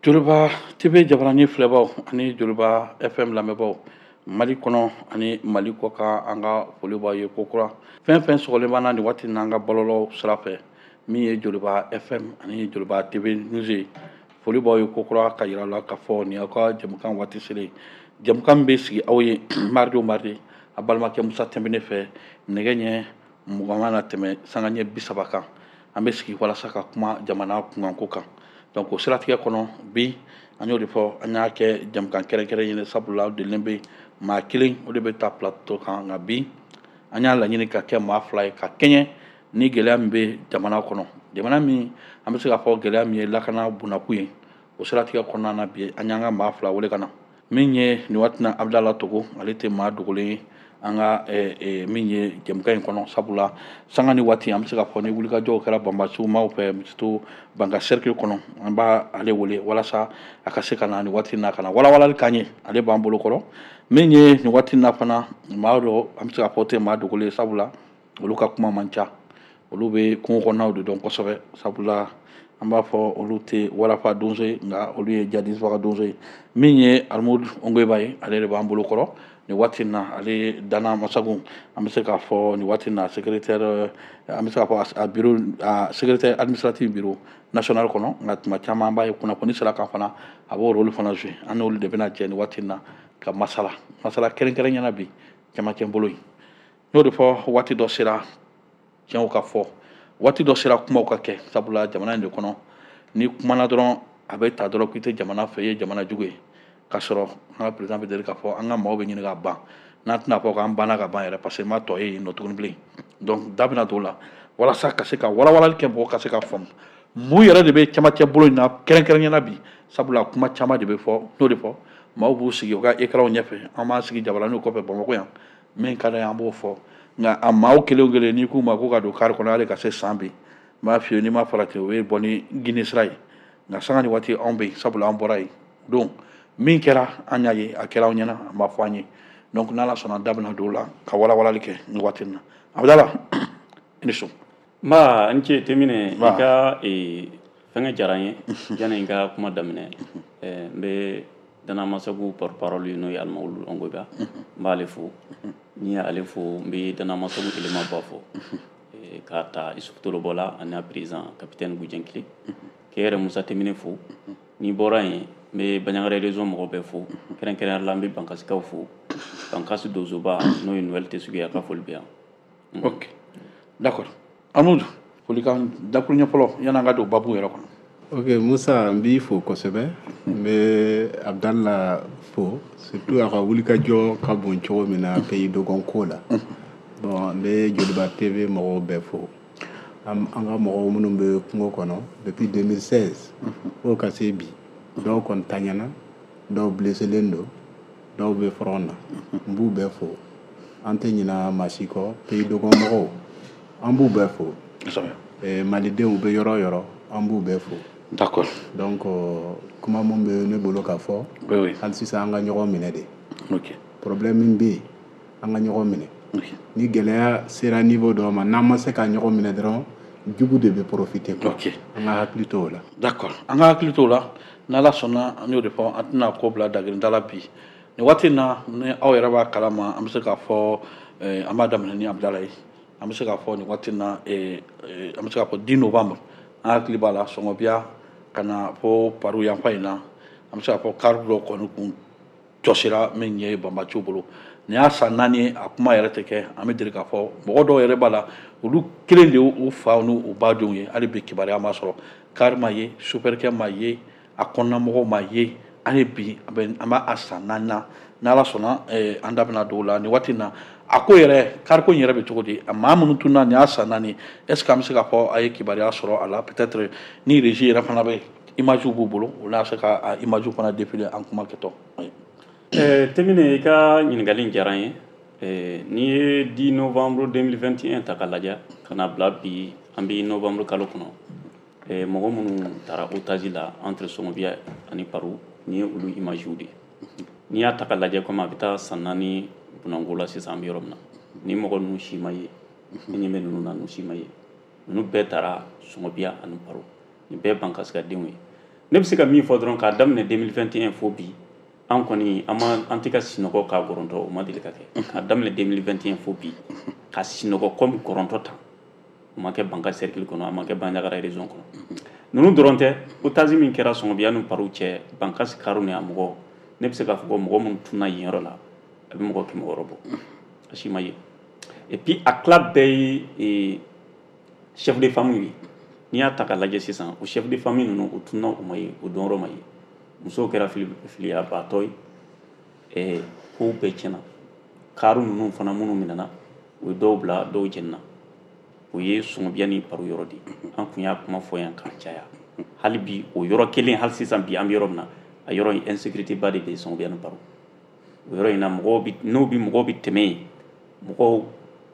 Joliba TV jabarani filɛbaw ani Joliba FM lamɛnbaw, Mali kɔnɔ ani Mali kɔ kan, an ka foli b'aw ye kokura. Fɛn fɛn sɔgɔlen b'an na nin waati in na an ka bɔlɔlɔ sira fɛ, min ye Joliba FM ani Joliba TV News ye, foli b'aw ye kokura ka yira la k'a fɔ nin y'aw ka jɛmukan waati selen. Jɛmukan min bɛ sigi aw ye mardi o mardi, a balimakɛ Musa Tɛnbene fɛ, nɛgɛ ɲɛ 20 na tɛmɛ sanga ɲɛ 30 kan, an bɛ sigi walasa ka kuma jamana kunkanko kan. Donc o siratigɛ kɔnɔ bi, an y'o de fɔ, an y'a kɛ jɛmukan kɛrɛnkɛrɛn ye, sabula delilen bɛ maa kelen o de bɛ taa plateau kan, nka bi an y'a laɲini ka kɛ maa fila ye ka kɛɲɛ ni gɛlɛya min bɛ jamana kɔnɔ, jamana min an bɛ se k'a fɔ gɛlɛya min ye lakana bunakun ye. O siratigɛ kɔnɔna na bi, an y'an ka maa fila wele ka na. Min ye nin waati na Abudala Togo, ale tɛ maa dogolen ye an ka min ye jɛmukan in kɔnɔ, sabula sanga ni waati an bɛ se k'a fɔ ni wulikajɔw kɛra banbasiw maaw fɛ, surtout Banka cercle kɔnɔ, an b'a ale wele walasa a ka se ka na nin waati in na ka na walawalali k'an ye. Ale b'an bolo kɔrɔ. Min ye nin waati in na fana maa dɔ, an bɛ se k'a fɔ tɛ maa dogolen ye, sabula olu ka kuma man ca, olu bɛ kungo kɔnɔnaw de dɔn kosɛbɛ, sabula an b'a fɔ olu tɛ warafa donso ye, nka olu ye jadisibaga donso ye. Min ye Alimudu Ongoyiba ye, ale de b'an bolo kɔrɔ nin waati in na. Ale ye Dana Masagun, an bɛ se k'a fɔ nin waati in na secrétaire, an bɛ se k'a fɔ a bureau, a secrétaire administratif bureau national kɔnɔ, nka tuma caman an b'a ye kunnafoni sira kan fana, a b'o rôle fana jouer. An n'olu de bɛna jɛ nin waati in na ka masala masala kɛrɛnkɛrɛn ɲɛna bi cɛmancɛ bolo in. N'o de fɔ, waati dɔ sera tiɲɛw ka fɔ, waati dɔ sera kumaw ka kɛ, sabula jamana in de kɔnɔ, ni kumana dɔrɔn a bɛ ta dɔrɔn k'i tɛ jamana fɛ, i ye jamana jugu ye, k'a sɔrɔ an ka président bɛ deli k'a fɔ an ka maaw bɛ ɲini ka ban, n'an tɛna fɔ k'an banna ka ban yɛrɛ, parce que n ma tɔ ye yen nɔ tuguni bilen. Donc da bɛna don o la walasa ka se ka walawalali kɛ, mɔgɔw ka se ka faamu mun yɛrɛ de bɛ cɛmancɛ bolo in na kɛrɛnkɛrɛnnenya la bi, sabula kuma caman de bɛ fɔ. N'o de fɔ, maaw b'u sigi u ka écran ɲɛfɛ, an b'an sigi jabaraniw kɔfɛ Bamakɔ yan, min ka d'an ye an b'o fɔ, nka a maaw kelen o kelen, n'i k'u ma ko ka don kari kɔnɔ hali ka se san bi, n b'a f'i ye, n'i ma farati o ye bɔ ni Guinée sira ye. Nka sanga ni waati anw bɛ yen, sabula an bɔra yen donc min kɛra an y'a ye, a kɛra anw ɲɛna, an b'a fɔ an ye. Donc n'Ala sɔnna, da bɛna don o la ka walawalali kɛ nin waati in na. Abudala, i ni su. Nba, n ce Temine, i ka fɛngɛ diyara n ye. Yanni n ka kuma daminɛ, n bɛ Dana Masagu porte-parole ye, n'o ye Alimawulu Ongoyiba, n b'ale fo. N'i y'ale fo, n bɛ Dana Masagu élément ba fo, k'a ta Isufu Tolobɔ ani a président capitaine Gujɛnkile, k'e yɛrɛ Musa Temine fo. N'i bɔra yen, n bɛ Bandiagara région mɔgɔw bɛɛ fo, kɛrɛnkɛrɛnnenya la n bɛ Bankasikaw fo, Bankasi donsoba n'o ye Noël Tesugu ye, a ka foli bɛ yan. Ok, d'accord. Amudu, folikan dakuruɲɛ fɔlɔ yan'an ka don babu yɛrɛ kɔnɔ. Ok Musa, n b'i fo kosɛbɛ, n bɛ Abudala fo, surtout a ka wulikajɔ ka bon cogo min na pays dogon ko la. Bon, n bɛ Joliba TV mɔgɔw bɛɛ fo, an ka mɔgɔw minnu bɛ kungo kɔnɔ depuis 2016 fo ka se bi, dɔw kɔni taɲana, dɔw blesselen don, dɔw bɛ front na, n b'u bɛɛ fo. An tɛ ɲina maa si kɔ, pays dogon mɔgɔw, an b'u bɛɛ fo. Malidenw bɛ yɔrɔ o yɔrɔ, an b'u bɛɛ fo. D'accord. Donc kuma mun bɛ ne bolo ka fɔ, oui. Hali sisan an ka ɲɔgɔn minɛ de. Ok. Problème min bɛ yen, an ka ɲɔgɔn minɛ. Ok. Ni gɛlɛya sera niveau dɔ ma, n'an ma se ka ɲɔgɔn minɛ dɔrɔn, jugu de bɛ profiter quoi. Ok. An ka hakili to o la. D'accord. An ka hakili to o la. N'Ala sɔnna, an y'o de fɔ, an tɛna ko bila dagirinda la bi. Nin waati in na, ni aw yɛrɛ b'a kalama, an bɛ se k'a fɔ, an b'a daminɛ ni Abudala ye. An bɛ se k'a fɔ nin waati in na, an bɛ se k'a fɔ 10 novembre, an hakili b'a la, Sɔngɔbiya ka na fo Paru yanfan in na, an bɛ se k'a fɔ kari dɔ kɔni kun jɔsira min ye banbaciw bolo. Nin y'a san 4 ye, a kuma yɛrɛ tɛ kɛ. An bɛ deli k'a fɔ mɔgɔ dɔw yɛrɛ b'a la, olu kelen de y'u fa n'u ba denw ye, hali bi kibaruya ma sɔrɔ, kari ma ye, sofɛrikɛ ma ye, a kɔnɔnamɔgɔw ma ye, hali bi an b'a san 4 na. N'Ala sɔnna, an da bɛna don o la nin waati in na. A ko yɛrɛ, kariko in yɛrɛ bɛ cogo di? A maa minnu tununa nin y'a san 4, est ce que an bɛ se k'a fɔ a ye kibaruya sɔrɔ a la? Peut-être ni régie yɛrɛ fana bɛ image b'u bolo, u n'a se ka a image fana défiler an kuma kɛtɔ. Temine, i ka ɲininkali in diyara n ye. N'i ye 10 novembre 2021 ta k'a lajɛ ka na bila bi, an bɛ novembre kalo kɔnɔ, mɔgɔ minnu taara otage la entre Sɔngɔbiya ani Paru, nin ye olu image de ye. N'i y'a ta k'a lajɛ, komi a bɛ taa san 4 bunanko la sisan, an bɛ yɔrɔ min na, ni mɔgɔ ninnu si ma ye, ni ɲɛ bɛ ninnu na, ninnu si ma ye, ninnu bɛɛ taara Sɔngɔbiya ani Paru, nin bɛɛ Bankasikadenw ye. Ne bɛ se ka min fɔ dɔrɔn, k'a daminɛ 2021 fo bi, an kɔni an ma, an tɛ ka sinɔgɔ k'a gɔrɔntɔ. O ma deli ka kɛ. K'a daminɛ 2021 fo bi, ka sinɔgɔ comme gɔrɔntɔ tan, o ma kɛ Bankass cercle kɔnɔ, a ma kɛ Bandiagara région kɔnɔ. Ninnu dɔrɔn tɛ, otage min kɛra Sɔngɔbiya ni Paru cɛ, Bankass karo ni a mɔgɔ, ne bɛ se k'a fɔ ko mɔgɔ minnu tunna yen yɔrɔ la, a bɛ mɔgɔ 600 bɔ, a si ma ye. Et puis a tila bɛɛ ye chef de famille ye. N'i y'a ta k'a lajɛ sisan, o chef de famille ninnu, u tunna, u ma ye, o dɔnyɔrɔ ma ye. Musow kɛra filiyabaatɔ ye, kow bɛɛ tiɲɛna. Kari ninnu fana minnu minɛna, o ye dɔw bila, dɔw jɛnina. O ye Sɔngɔbiya ni Paru yɔrɔ de ye. An kun y'a kuma fɔ yan k'a caya. Hali bi o yɔrɔ kelen, hali sisan bi an bɛ yɔrɔ min na, a yɔrɔ in insécurité ba de bɛ yen. Sɔngɔbiya ni Paru, o yɔrɔ in na, mɔgɔw bi n'o bi mɔgɔw bi tɛmɛ yen, mɔgɔw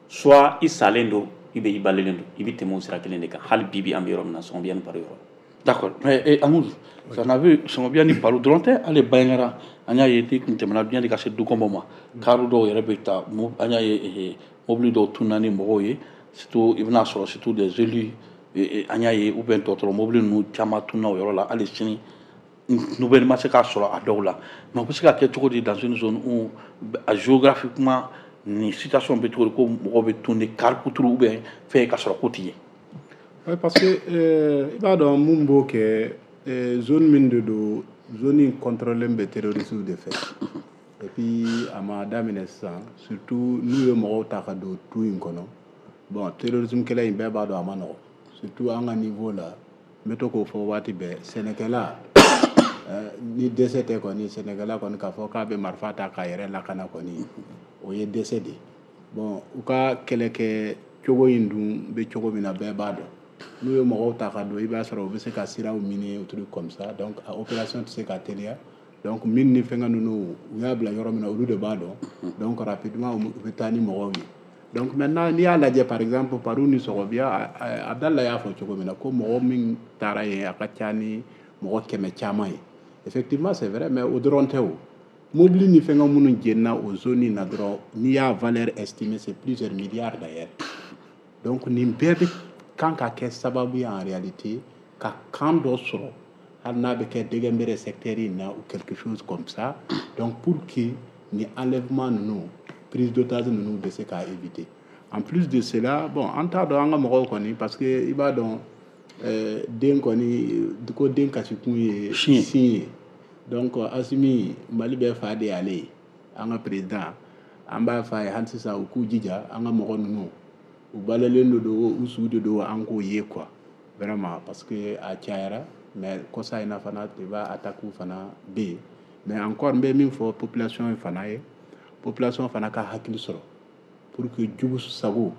soit i salen don, i bɛ i balelen don, i bɛ tɛmɛ o sira kelen de kan. Hali bi bi an bɛ yɔrɔ min na, Sɔngɔbiya ni Paru yɔrɔ. D'accord, mais Amoudou, ça n'a vu Sɔngɔbiya ni Paru dɔrɔn tɛ, hali Bandiagara, an y'a ye n'i kun tɛmɛna yanni ka se Dukɔnbɔ ma, kari dɔw yɛrɛ bɛ ta, an y'a ye mobili dɔw tununa ni mɔgɔw ye, surtout i bɛna sɔrɔ surtout des élus, an y'a ye, ou bien dɔgɔtɔrɔ mobili ninnu caman tununa o yɔrɔ la. Hali sini nouvelle ma se k'a sɔrɔ a dɔw la. Mais o bɛ se ka kɛ cogo di dans une zone où géographiquement nin situation bɛ cogo di, ko mɔgɔw bɛ tun ni car kuturu ou bien fɛn ka sɔrɔ ko t'i ye? Oui, parce que i b'a dɔn mun b'o kɛ, zone min de don, zone in contrôlé bɛ terroristes de fɛ. Et puis a ma daminɛ sisan, surtout n'u ye mɔgɔw ta ka don tu in kɔnɔ. Bon, terrorisme kɛlɛ in, bɛɛ b'a dɔn a ma nɔgɔn, surtout an ka niveau la. N bɛ to k'o fɔ waati bɛɛ, sɛnɛkɛla ni dɛsɛ tɛ kɔni, sɛnɛkɛla kɔni k'a fɔ k'a bɛ marifa ta k'a yɛrɛ lakana kɔni, o ye dɛsɛ de ye. Bon, u ka kɛlɛkɛ cogo in dun bɛ cogo min na, bɛɛ b'a dɔn. N'u ye mɔgɔw ta ka don, i b'a sɔrɔ u bɛ se ka siraw miner, truc comme ça. Donc a opération tɛ se ka teliya. Donc min ni fɛngɛ ninnu, u y'a bila yɔrɔ min na, olu de b'a dɔn. Donc rapidement u bɛ taa ni mɔgɔw ye. Donc maintenant, n'i y'a lajɛ, par exemple Paru ni Sɔgɔbiya, Abdala y'a fɔ cogo min na ko mɔgɔ min taara yen, a ka ca ni mɔgɔ 100 caman ye. Effectivement, c'est vrai, mais o dɔrɔn tɛ. O mobili ni fɛngɛ minnu jenina o zone in na dɔrɔn, n'i y'a valeur estimée, c'est plusieurs milliards d'ailleurs. Donc nin bɛɛ bɛ kan ka kɛ sababu ye en réalité ka kan dɔ sɔrɔ, hali n'a bɛ kɛ Dɛgɛnbere secteur in na ou quelque chose comme ça, donc pour que ni enlèvement ninnu, prise d'otage ninnu bɛ se k'a éviter. En plus de cela, bon, an t'a dɔn an ka mɔgɔw kɔni, parce que i b'a dɔn den kɔni ko den kasikun ye sin ye. Donc Asimi, Mali bɛɛ fa de y'ale ye, an ka président, an b'a f'a ye hali sisan u k'u jija an ka mɔgɔ ninnu, u balalen de don, u su de don, an k'o ye quoi, vraiment, parce que a cayara. Mais kɔsa in na fana, i b'a attaque fana bɛ yen. Mais encore, n bɛ min fɔ population ye fana ye, population fana ka hakili sɔrɔ pour que jugu sago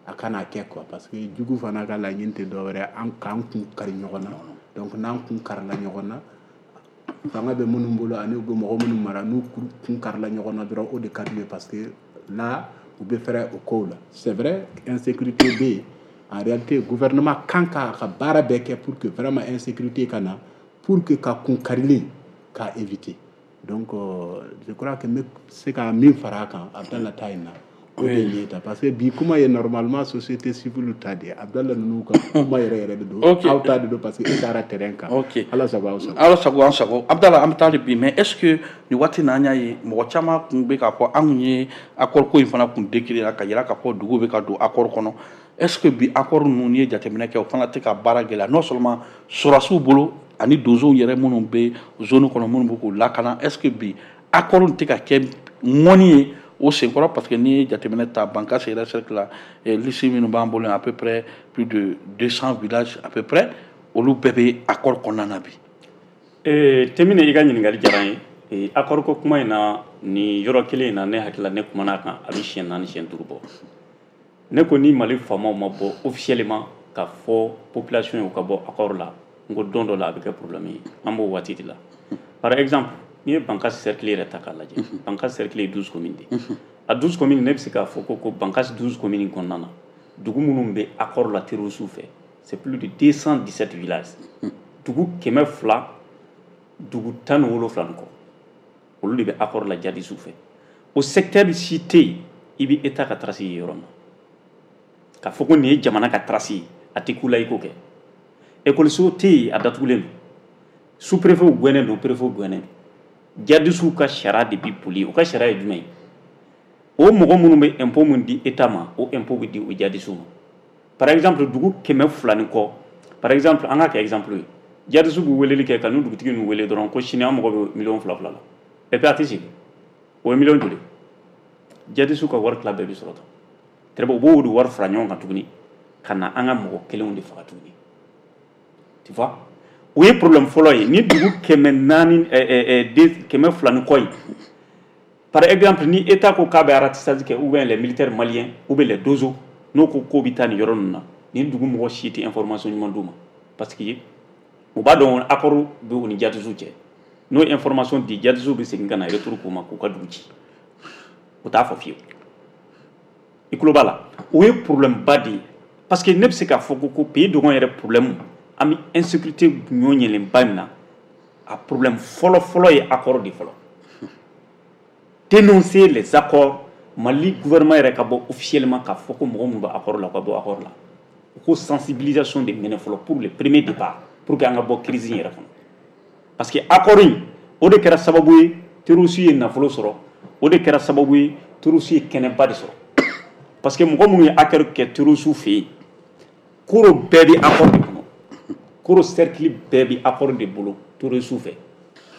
a kana kɛ quoi, parce que jugu fana ka laɲini tɛ dɔwɛrɛ an k'an kun kari ɲɔgɔn na. Donc n'an kun karila ɲɔgɔn na, fanga bɛ minnu bolo ani u bɛ mɔgɔ minnu mara, n'u kun karila ɲɔgɔn na dɔrɔn, o de ka d'u ye, parce que là u bɛ fɛrɛ o kow la. C'est vrai, insécurité bɛ yen. En réalité, gouvernement kan k'a ka baara bɛɛ kɛ pour que vraiment insécurité ka na, pour que ka kun karili k'a éviter. Donc je crois que n bɛ se ka min fara a kan Abdala ta in na, o de ye ta, parce que bi kuma ye normalement société civile ta de ye. Abdala ninnu ka kuma yɛrɛ yɛrɛ de don, aw ta de don, parce que e taara terrain kan. Ala sago aw sago. Ala sago an sago. Abdala, an bɛ taa de bi, mais est ce que nin waati na, an y'a ye mɔgɔ caman kun bɛ k'a fɔ an kun ye accord ko in fana kun décrire ka yira k'a fɔ dugu bɛ ka don accord kɔnɔ. Est ce que bi accord ninnu, n'i ye jateminɛ kɛ, o fana tɛ ka baara gɛlɛya, non seulement sɔrɔdasiw bolo ani donsow yɛrɛ minnu bɛ zone kɔnɔ, minnu bɛ k'u lakana? Est ce que bi accord tɛ ka kɛ ŋɔni ye o senkɔrɔ? Parce que n'i ye jateminɛ ta Bankass yɛrɛ cercle la, liste minnu b'an bolo, à peu près plus de 200 villages à peu près, olu bɛɛ bɛ accord kɔnɔna na bi. Temine, i ka ɲininkali diyara n ye. Accord ko kuma in na, nin yɔrɔ kelen in na, ne hakili la, ne kumana a kan a bɛ siɲɛ 4, siɲɛ 5 bɔ. Ne ko ni Mali faamaw ma bɔ officiellement ka fɔ population ye u ka bɔ accord la, n ko don dɔ la a bɛ kɛ problème ye. An b'o waati de la. Par exemple, n'i ye Bankass cercle yɛrɛ ta k'a lajɛ, Bankass cercle ye 12 communes de ye. A 12 communes, ne bɛ se k'a fɔ ko Bankass 12 communes kɔnɔna na, dugu minnu bɛ accord la terroristes fɛ, c'est plus de 217 villages, dugu 200, dugu 17 ni kɔ, olu de bɛ accord la djihadistes fɛ. O secteur si tɛ yen i bɛ état ka trace ye yɔrɔ min na k'a fɔ ko nin ye jamana ka trace ye, a tɛ ku la i k'o kɛ. Ekɔliso tɛ yen, a datugulen don. Sous-préfet gɛnnen don, préfet gɛnnen don. Djihadistes ka sariya de bi boli. O ka sariya ye jumɛn ye? O mɔgɔ minnu bɛ impôt mun di état ma, o impôt bɛ di o djihadistes ma. Par exemple, dugu 200 ni kɔ, par exemple, an ka kɛ exemple ye, djihadistes b'u weleli kɛ ka n'u dugutigi ninnu wele dɔrɔn ko sini an mago bɛ miliyɔn 2 2 la. Et puis a tɛ segin. O ye miliyɔn joli? Djihadistes ka wari tila bɛɛ bɛ sɔrɔ tan. Très bien, u b'o de wari fara ɲɔgɔn kan tuguni ka na an ka mɔgɔ kelenw de faga tuguni. Tu vois, o ye problème fɔlɔ ye. Ni dugu 400, 200 ni kɔ ye, par exemple, ni état ko k'a bɛ ratissage kɛ, ou bien les militaires maliens ou bien les dozos, n'o ko k'o bɛ taa nin yɔrɔ ninnu na, nin dugu mɔgɔ si tɛ information ɲuman d'u ma, parce que u b'a dɔn accord bɛ u ni djihadistes cɛ. N'o ye information di, djihadistes bɛ segin ka na retour k'u ma k'u ka dugu ci. U t'a fɔ fiyewu. I tulo b'a la, o ye problème ba de ye, parce que ne bɛ se k'a fɔ ko pays dogon yɛrɛ problème, an bɛ insécurité ɲɔ ɲɛlenba min na, a problème fɔlɔ fɔlɔ ye accord de fɔlɔ. Dénoncer les accords. Mali gouvernement yɛrɛ ka bɔ officiellement k'a fɔ ko mɔgɔ minnu bɛ accord la, u ka bɔ accord la. U ko sensibilisation de minɛ fɔlɔ pour le premier départ, pour que an ka bɔ crise in yɛrɛ kɔnɔ, parce que accord in, o de kɛra sababu ye terroriste ye nafolo sɔrɔ, o de kɛra sababu ye terroriste ye kɛnɛba de sɔrɔ, parce que mɔgɔ minnu ye accord kɛ terroriste fɛ yen, Koro bɛɛ bɛ accord de kɔnɔ. Koro cercle bɛɛ bɛ accord de bolo terroriste fɛ.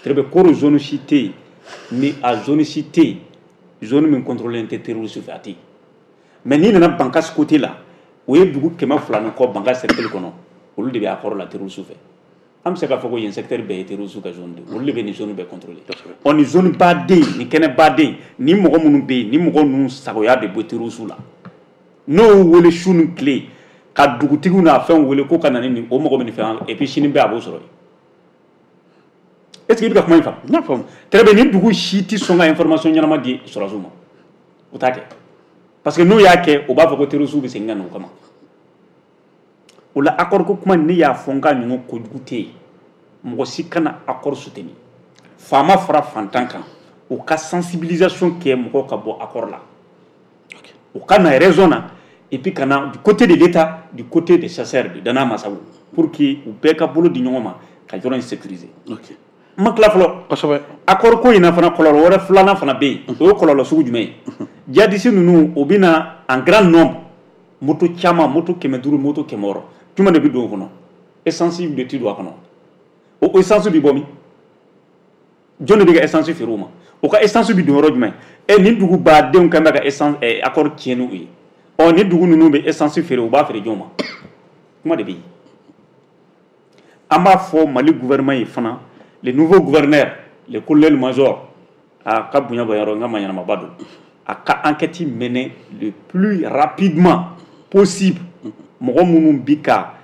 Très bien, Koro zone si tɛ yen ni a zone si tɛ yen, zone min contrôlé tɛ terroriste fɛ, a tɛ yen. Mais n'i nana Bankass côté la, o ye dugu 200 ni kɔ Bankass cercle kɔnɔ, olu de bɛ accord la terroriste fɛ. An bɛ se k'a fɔ ko yen secteur bɛɛ ye terroriste ka zone de ye. Olu de bɛ nin zone bɛɛ contrôler. Ɔ, nin zone baden, nin kɛnɛ baden, ni mɔgɔ minnu bɛ yen, ni mɔgɔ ninnu sagoya de bɔ terroriste la, n'o y'u wele su ni tile ka dugutigiw n'a fɛnw wele ko ka na ni nin, o mɔgɔ bɛ nin fɛn, et puis sini bɛɛ a b'o sɔrɔ yen. Est ce que i bɛ ka kuma in faamu? N y'a faamu. Très bien, ni dugu si tɛ sɔn ka information ɲɛnama di sɔrɔdasiw ma, o t'a kɛ, parce que n'u y'a kɛ, o b'a fɔ ko terroriste bɛ segin ka na o kama. O la, accord ko kuma, ne y'a fɔ n k'a ɲɔgɔn kojugu tɛ yen. Mɔgɔ si kana accord soutenir. Faama fara fantan kan, u ka sensibilisation kɛ, mɔgɔw ka bɔ accord la, u ka na raison na, et puis ka na du côté de l'État, du côté des chasseurs de Dana Masagu, pour que u bɛɛ ka bolo di ɲɔgɔn ma ka yɔrɔ in sécuriser. N ma tila fɔlɔ. Accord ko in na fana, kɔlɔlɔ wɛrɛ filanan fana bɛ yen. O ye kɔlɔlɔ sugu jumɛn ye? Djihadiste ninnu, o bɛ na en grand nombre, moto caman, moto 500, moto 600. Jumɛn de bɛ don o kɔnɔ? Essence de tɛ don a kɔnɔ. O essence bɛ bɔ min? Jɔn de bɛ ka essence feere u ma? O ka essence bɛ don yɔrɔ jumɛn? Ɛ, nin dugu badenw kan bɛ ka essence accord tiɲɛ n'u ye. Ɔ, ni dugu ninnu bɛ essence feere, u b'a feere jɔn ma? Kuma de bɛ yen. An b'a fɔ Mali gouvernement ye fana, le nouveau gouverneur, le colonel major, a ka bonya bɔ yɔrɔ n ka ma ɲɛnamaba don, a ka enquête mener le plus rapidement possible. Mɔgɔ minnu bi ka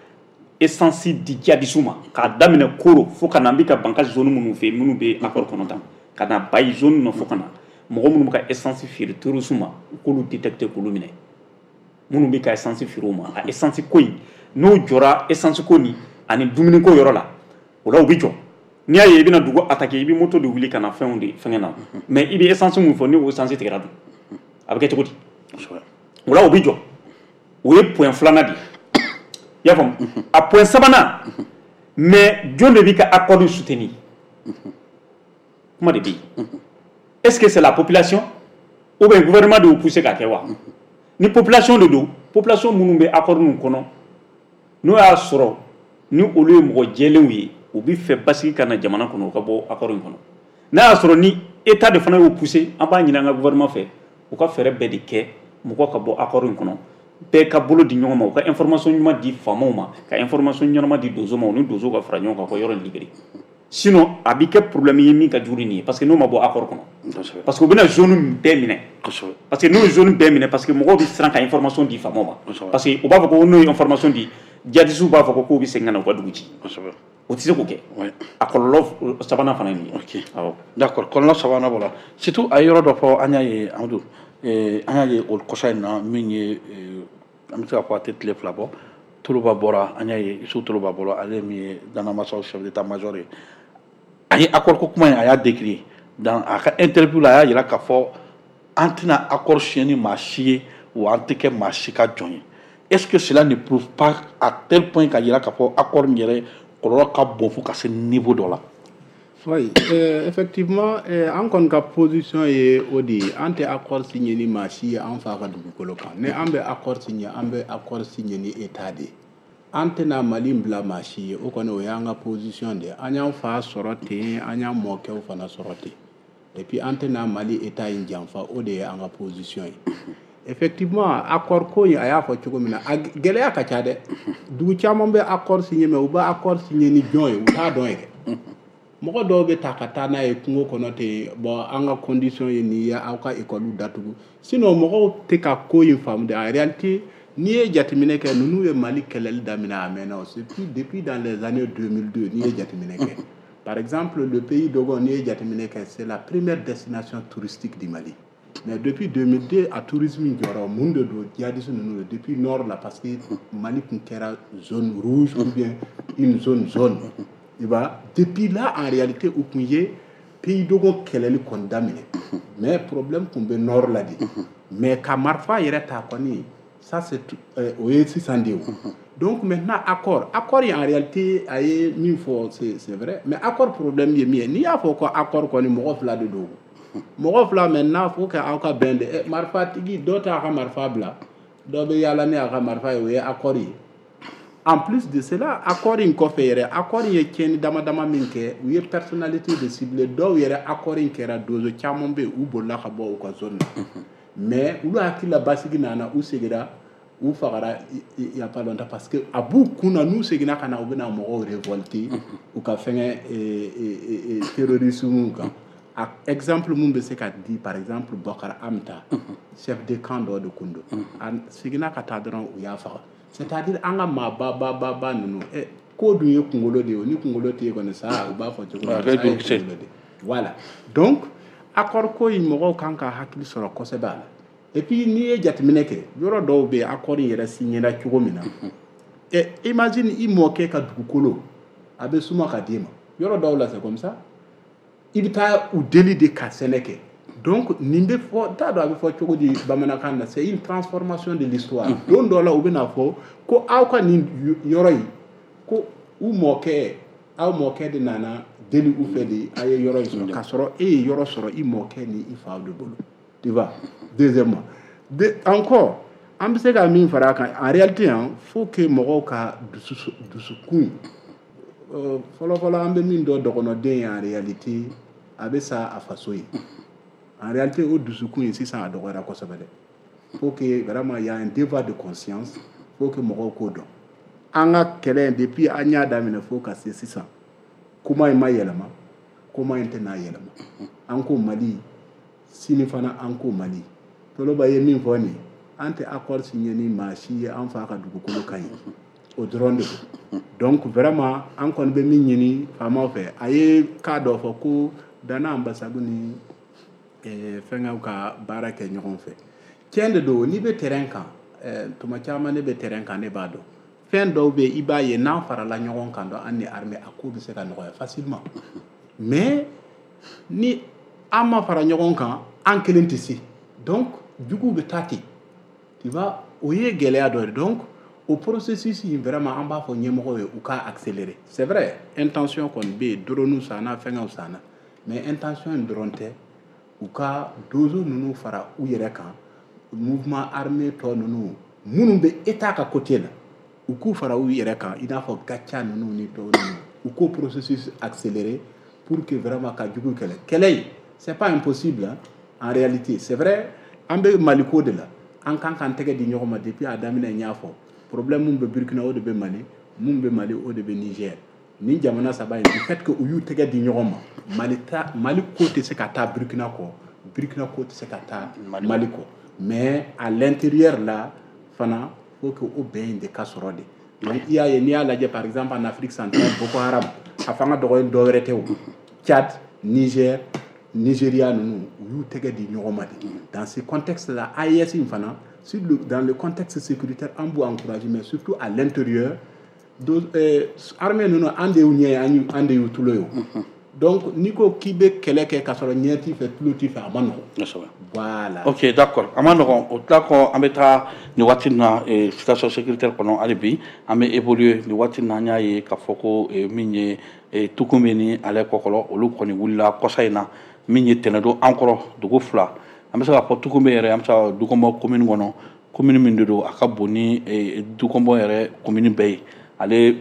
essence di djihadistes ma, k'a daminɛ Koro fo ka na, an bɛ ka Bankass zone minnu fɛ yen, minnu bɛ accord kɔnɔ tan, ka na Bayi zone nɔ, fo ka na mɔgɔ minnu bɛ ka essence feere terroristes ma, u k'olu détecter, k'olu minɛ. Minnu bɛ ka essence feere u ma, a essence ko in, n'o jɔra, essence ko nin ani dumuni ko yɔrɔ la, o la u bɛ jɔ. N'i y'a ye i bɛna dugu attaquer, i bɛ moto de wuli ka na fɛnw de fɛngɛ na, mais i bɛ essence mun fɔ, ni o essence tigɛra dun, a bɛ kɛ cogo di? O la u bɛ jɔ. O ye point filanan de ye, i y'a faamu? A point sabanan, mais jɔn de bɛ ka accord soutenir? Kuma de bɛ yen. Est-ce que c'est la population ou bien gouvernement de y'u pousser k'a kɛ wa? Ni population de don, population minnu bɛ accord ninnu kɔnɔ, n'o y'a sɔrɔ ni olu ye mɔgɔ jɛlenw ye, u bɛ fɛ basigi ka na jamana kɔnɔ, u ka bɔ accord in kɔnɔ. N'a y'a sɔrɔ ni état de fana y'o pousser, an b'a ɲini an ka gouvernement fɛ, u ka fɛɛrɛ bɛɛ de kɛ mɔgɔw ka bɔ accord in kɔnɔ. Bɛɛ ka bolo di ɲɔgɔn ma, u ka information ɲuman di faamaw ma, ka information ɲɛnama di donso ma, u ni donso ka fara ɲɔgɔn kan ka yɔrɔ in libérer. Sinon a bɛ kɛ problème ye min ka jugu ni nin ye, parce que n'o ma bɔ accord kɔnɔ, parce que u bɛna zone bɛɛ minɛ, parce que n'u ye zone bɛɛ minɛ, parce que mɔgɔw bɛ siran ka information di faamaw ma, parce que u b'a fɔ ko n'u ye information di, djihadistes b'a fɔ ko k'u bɛ segin ka na u ka dugu ci. O tɛ se k'o kɛ. A kɔlɔlɔ sabanan fana ye nin ye. Awɔ. D'accord, kɔlɔlɔ sabanan b'o la. Surtout a ye yɔrɔ dɔ fɔ, an y'a ye, Amadu, an y'a ye o kɔsa in na, min ye, an bɛ se k'a fɔ a tɛ tile 2 bɔ, Toloba bɔra, an y'a ye Isu Toloba bɔra, ale min ye Danamasaw chef d'état-major ye, a ye accord ko kuma in, a y'a décrier dans a ka interview la. A y'a jira k'a fɔ an tɛna accord signer ni maa si ye, wa an tɛ kɛ maa si ka jɔn ye. Est-ce que cela ne prouve pas à tel point k'a jira k'a fɔ accord in yɛrɛ kɔlɔlɔ ka bon fo ka se niveau dɔ la? Oui, effectivement, an kɔni ka position ye o de ye. An tɛ accord signé ni maa si ye an fa ka dugukolo kan. Ni an bɛ accord signé, an bɛ accord signé ni état de ye. An tɛna Mali bila maa si ye, o kɔni o y'an ka position de ye. An y'an fa sɔrɔ ten, an y'an mɔkɛw fana sɔrɔ ten. Et puis an tɛna Mali état in janfa, o de ye an ka position ye. Effectivement, accord ko in, a y'a fɔ cogo min na, a gɛlɛya ka ca dɛ. Dugu caman bɛ accord signé, mais u bɛ accord signé ni jɔn ye, u t'a dɔn yɛrɛ. Mɔgɔ dɔw bɛ ta ka taa n'a ye kungo kɔnɔ ten. Bon, an ka condition ye nin ye, aw ka école datugu, sinon mɔgɔw tɛ ka ko in faamu de. En réalité, n'i ye jateminɛ kɛ, ninnu ye Mali kɛlɛli daminɛ a mɛnna o, surtout depuis dans les années 2002. N'i ye jateminɛ kɛ, par exemple le pays Dogon, n'i ye jateminɛ kɛ, c'est la première destination touristique du Mali. Mais depuis 2002, a tourisme jɔra. Mun de don? Djihadistes ninnu de, depuis nord la, parce que Mali tun kɛra zone rouge ou bien une zone zone. I b'a, depuis là, en réalité, u kun ye pays Dogon kɛlɛli kɔni daminɛ, mais problème tun bɛ nord la de. Mais ka marifa yɛrɛ ta kɔni, ça c'est o ye sisan de ye o. Donc maintenant, accord in, en réalité, a ye min fɔ, c'est vrai, mais accord problème ye min ye, n'i y'a fɔ ko accord kɔni, mɔgɔ fila de don, mɔgɔ fila. Maintenant, faut que aw ka bɛn de. Marifatigi dɔ t'a ka marifa bila, dɔ bɛ yaala ni a ka marifa ye, o ye accord ye. En plus de cela, accord in kɔfɛ yɛrɛ, accord in ye tiɲɛni dama dama min kɛ, u ye personnalité de ciblé dɔw yɛrɛ. Accord in kɛra, donso caman bɛ yen, u bolila ka bɔ u ka zone na, mais olu hakili la basigi nana, u seginna, u fagara il y a pas longtemps, parce que a b'u kun na, n'u seginna ka na, u bɛna mɔgɔw révolter u ka fɛngɛ terrorisme kan. A exemple mun bɛ se ka di, par exemple Bokar Amta, chef de camp dɔ de kun don, a seginna ka taa dɔrɔn, u y'a faga. C'est-à-dire an ka maa ba ba ba ba ninnu, ko dun ye kunkolo de ye o. Ni kunkolo tɛ yen kɔni, sa u b'a fɔ cogo min na, sa ye kunkolo de ye. Voilà, donc accord ko in, mɔgɔw kan ka hakili sɔrɔ kosɛbɛ a la. Et puis n'i ye jateminɛ kɛ, yɔrɔ dɔw bɛ yen, accord in yɛrɛ signé cogo min na, imagine i mɔkɛ ka dugukolo a bɛ suma ka d'i ma. Yɔrɔ dɔw la, c'est comme ça, i bɛ taa u deli de ka sɛnɛ kɛ. Donc nin bɛ fɔ, n t'a dɔn a bɛ fɔ cogo di bamanankan na, c'est une transformation de l'histoire. Don dɔ la, u bɛna fɔ ko aw ka nin yɔrɔ in, ko u mɔkɛ, aw mɔkɛ de nana deli u fɛ de a ye yɔrɔ in sɔrɔ, k'a sɔrɔ e ye yɔrɔ sɔrɔ i mɔkɛ ni i faw de bolo, tu vois. Deuxièmement de, encore an bɛ se ka min fara a kan, en réalité, hein, faut que mɔgɔw ka dusu dusukun fɔlɔ fɔlɔ, an bɛ min dɔn, dɔgɔnɔden ye, en réalité a bɛ sa a faso ye. En réalité, o dusukun ye sisan a dɔgɔyara kosɛbɛ dɛ. Faut que vraiment il y a un devoir de conscience, faut que mɔgɔw k'o dɔn. An ka kɛlɛ in, depuis an y'a daminɛ fo ka se sisan, kuma in ma yɛlɛma, kuma in tɛna yɛlɛma. An ko Mali, sini fana an ko Mali. Toloba ye min fɔ nin ye, an tɛ accord signé ni maa si ye an fa ka dugukolo kan ye, o dɔrɔn de don. Donc vraiment, an kɔni bɛ min ɲini faamaw fɛ, a ye cas dɔ fɔ ko Dana Ambasagu ni fɛnkɛw ka baara kɛ ɲɔgɔn fɛ. Tiɲɛ de don, n'i bɛ terrain kan, tuma caman ne bɛ terrain kan, ne b'a dɔn fɛn dɔw bɛ yen, i b'a ye n'an farala ɲɔgɔn kan dɔn, an ni armée, a ko bɛ se ka nɔgɔya facilement. Mais ni an ma fara ɲɔgɔn kan, an kelen tɛ se, donc juguw bɛ taa ten, tu vois, o ye gɛlɛya dɔ ye. Donc o processus in, vraiment, an b'a fɔ ɲɛmɔgɔw ye u k'a accélérer. C'est vrai, intention kɔni bɛ yen, drone sanna, fɛngɛw sanna, mais intention in dɔrɔn tɛ. U ka donso ninnu fara u yɛrɛ kan, mouvement armé tɔ ninnu minnu bɛ état ka côté la, u k'u fara u yɛrɛ kan, i n'a fɔ Gatia ninnu ni tɔw ninnu, u k'o processus accélérer pour que vraiment ka jugu kɛlɛ. Kɛlɛ in, c'est pas impossible, hein, en réalité. C'est vrai, an bɛ Maliko de la, an kan k'an tɛgɛ di ɲɔgɔn ma. Depuis a daminɛ, n y'a fɔ, problème mun bɛ Burkina, o de bɛ Mali, mun bɛ Mali, o de bɛ Niger. Ni jamana saba in, du fait que u y'u tɛgɛ di ɲɔgɔn ma, Mali ta, Mali ko tɛ se ka taa Burkina kɔ, Burkina ko tɛ se ka taa Mali kɔ. Mais à l'intérieur là fana, faut que o bɛn in de ka sɔrɔ de. Donc i y'a ye, n'i y'a lajɛ, par exemple en Afrique centrale, Boko Haram a fanga dɔgɔyen dɔ wɛrɛ tɛ o, Tchad, Niger, Nigeria ninnu, u y'u tɛgɛ di ɲɔgɔn ma de. Dans ce contexte là, AES in fana, dans le contexte sécuritaire, an b'u encourager, mais surtout à l'intérieur, armée ninnu, an de y'u ɲɛ ye, an de y'u tulo ye o. Donc n'i ko k'i bɛ kɛlɛ kɛ k'a sɔrɔ ɲɛ t'i fɛ, tulo t'i fɛ, a ma nɔgɔn. Voilà. Ok, d'accord, a ma nɔgɔn. O tila kɔ, an bɛ taa nin waati in na, situation sécuritaire kɔnɔ, hali bi an bɛ évoluer nin waati in na. An y'a ye k'a fɔ ko min ye Tukunbe ni ale Kɔkɔlɔ, olu kɔni wulila kɔsa in na min ye tɛnɛdon an kɔrɔ dugu fila. An bɛ se k'a fɔ Tukunbe yɛrɛ, an bɛ se ka Dukɔnbɔ commune kɔnɔ, commune min de don a ka bon ni Dukɔnbɔ yɛrɛ commune bɛɛ ye, ale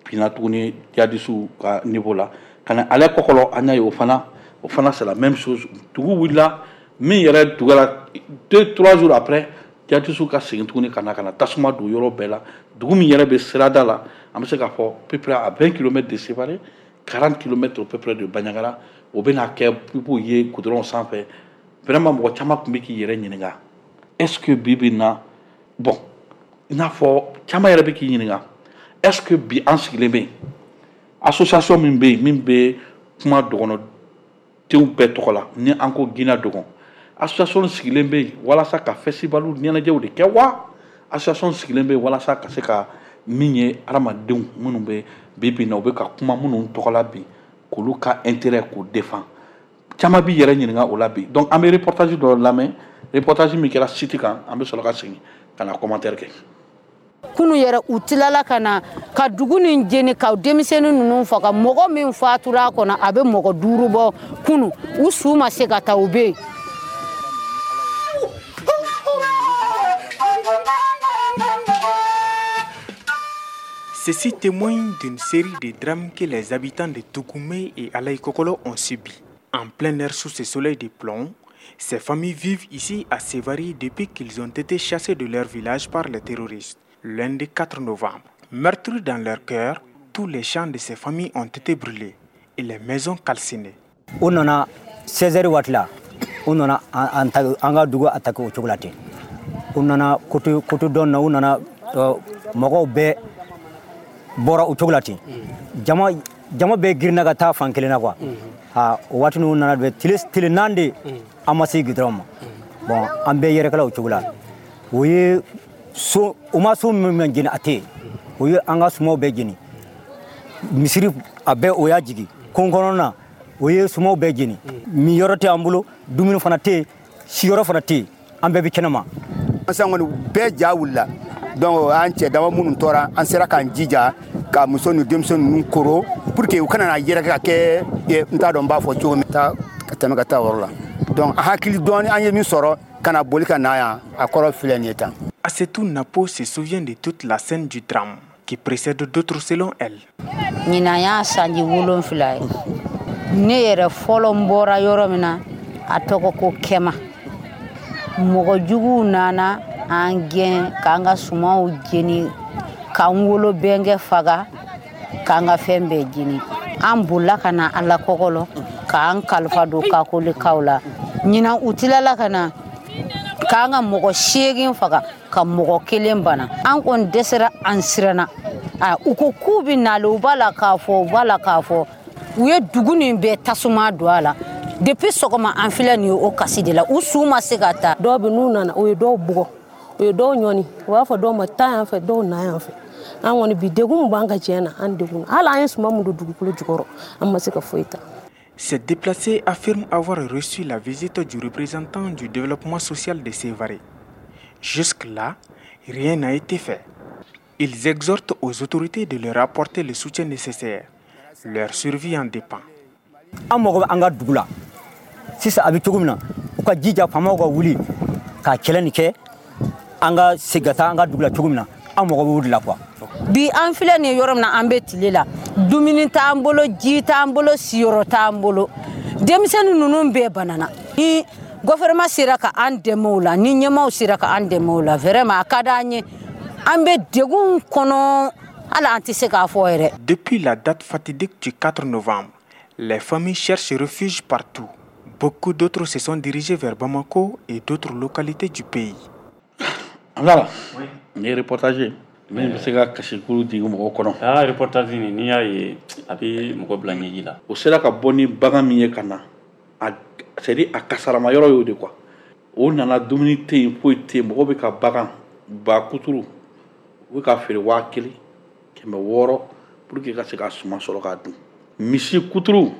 binna tuguni jihadisiw ka niveau la. Ka na ale Kɔkɔlɔ, an y'a ye o fana c'est la même chose. Dugu wulila min yɛrɛ dugura, 2, 3 jours après, jihadisiw ka segin tuguni ka na tasuma don yɔrɔ bɛɛ la. Dugu min yɛrɛ bɛ sirada la, an bɛ se k'a fɔ peu près à 20 kilomètres de Sévaré, 40 kilomètres au peu près de Bandiagara, o bɛna kɛ i b'o ye goudron sanfɛ. Vraiment, mɔgɔ caman tun bɛ k'i yɛrɛ ɲininka, est ce que bi bi in na, bon, i n'a fɔ caman yɛrɛ bɛ k'i ɲininka, est ce que bi an sigilen bɛ yen, association min bɛ yen, min bɛ kuma dɔgɔnɔdenw bɛɛ tɔgɔ la, ni an ko Guinée Dogon, association sigilen bɛ yen walasa ka festival ɲɛnajɛw de kɛ wa, association sigilen bɛ yen walasa ka se ka min ye hadamadenw minnu bɛ bi bi in na, u bɛ ka kuma minnu tɔgɔ la bi, k'olu ka intérêt k'o défend? Caman b'i yɛrɛ ɲininka o la bi. Donc an bɛ reportage dɔ lamɛn, reportage min kɛra site kan, an bɛ sɔrɔ ka segin ka na commentaire kɛ. Kunu yɛrɛ, u tilala ka na ka dugu nin jeni, ka denmisɛnnin ninnu faga. Mɔgɔ min fatura a kɔnɔ, a bɛ mɔgɔ 5 bɔ. Kunu, u su ma se ka taa, u bɛ yen. Ceci témoigne d'une série de drames que les habitants de Toukoumé et Alaïkokolo ont subis. En plein air sous ce soleil de plomb, ces familles vivent ici à Sévaré depuis qu'ils ont été chassés de leur village par les terroristes, lundi 4 novembre. Meurtris dans leur cœur, tous les champs de ces familles ont été brûlés et les maisons calcinées. U nana 16 waati la, u nana an ka dugu attaqué o cogo la ten. U nana côté côté dɔ na, u nana, mɔgɔw bɛɛ bɔra o cogo la ten. Jama jama bɛɛ girinna ka taa fan kelen na quoi. A o waati ninnu nana bɛ tile tile 4 de, an ma se goudron ma. Bon, an bɛɛ yɛrɛkɛla o cogo la. O ye so, u ma so min jeni, a tɛ yen. O ye an ka sumaw bɛɛ jeni, misiri a bɛɛ o y'a jigi kon kɔnɔna, o ye sumaw bɛɛ jeni. Min yɔrɔ tɛ an bolo, dumuni fana tɛ yen, siyɔrɔ fana tɛ yen, an bɛɛ bɛ kɛnɛma. Sisan kɔni, bɛɛ ja wulila. Donc an cɛ dama minnu tora, an sera k'an jija ka muso ni denmisɛn ninnu koro pour que u kana na yɛrɛkɛ ka kɛ, n t'a dɔn n b'a fɔ cogo min, taa ka tɛmɛ ka taa o yɔrɔ la. Donc an hakili dɔɔni, an ye min sɔrɔ ka na boli ka na yan, a kɔrɔ filɛ nin ye tan. Assetou Napo se souvient de toute la scène du drame qui précède d'autres selon elle. Ɲinan y'a sanji 7 ye. Ne yɛrɛ fɔlɔ, n bɔra yɔrɔ min na, a tɔgɔ ko Kɛma. Mɔgɔ juguw nana an gɛn, k'an ka sumaw jeni, k'an wolo bɛnkɛ faga, k'an ka fɛn bɛɛ jeni. An bolila ka na Ala kɔkɔlɔ, k'an kalifa don kakolikaw la. Ɲinan, u tilala ka na k'an ka mɔgɔ 8 faga, ka mɔgɔ kelen bana. An kɔni dɛsɛra, an siranna. U ko k'u bɛ nale, u b'a la k'a fɔ, u b'a la k'a fɔ, u ye dugu nin bɛɛ tasuma don a la. Depuis sɔgɔma, an filɛ nin ye o kasi de la, u su ma se ka taa. Dɔw bɛ n'u nana, u ye dɔw bugɔ, u ye dɔw ɲɔni, u b'a fɔ dɔw ma taa yan fɛ, dɔw na yan fɛ. An kɔni bi, degun min b'an ka tiɲɛ na, an degun hali an ye suman min don dugukolo jukɔrɔ, an ma se ka foyi ta. Ces déplacés affirment avoir reçu la visite du représentant du développement social de Sévaré. Jusque-là, rien n'a été fait. Ils exhortent aux autorités de leur apporter le soutien nécessaire. Leur survie en dépend. An mago bɛ an ka dugu la sisan, a bɛ cogo min na, u ka jija, faamaw ka wuli ka kɛlɛ nin kɛ, an ka segin ka taa an ka dugu la cogo min na. An mago b'o de la quoi. Bi, an filɛ nin ye yɔrɔ min na, an bɛ tile la, dumuni t'an bolo, ji t'an bolo, siyɔrɔ t'an bolo. Denmisɛnnin ninnu bɛɛ banana. Ni gouvernement sera ka an dɛmɛ o la, ni ɲɛmaaw sera ka an dɛmɛ o la, vraiment a ka d'an ye. An bɛ degun kɔnɔ, hali an tɛ se k'a fɔ yɛrɛ. Depuis la date fatidique du 4 novembre, les familles cherchent refuge partout. Beaucoup d'autres se sont dirigés vers Bamako et d'autres localités du pays. Voilà. Nin ye reportage ye min bɛ se ka kasikulu jigin mɔgɔw kɔnɔ. Aa, reportage nin, n'i y'a ye, a bɛ mɔgɔ bila ɲɛji la. O sera ka bɔ ni bagan min ye ka na, a c'est à dire a kasarama yɔrɔ y'o de quoi. O nana, dumuni tɛ yen, foyi tɛ yen, mɔgɔw bɛ ka bagan ba kuturu, u bɛ ka feere 1600 pour que ka se ka suman sɔrɔ k'a dun. Misi kuturu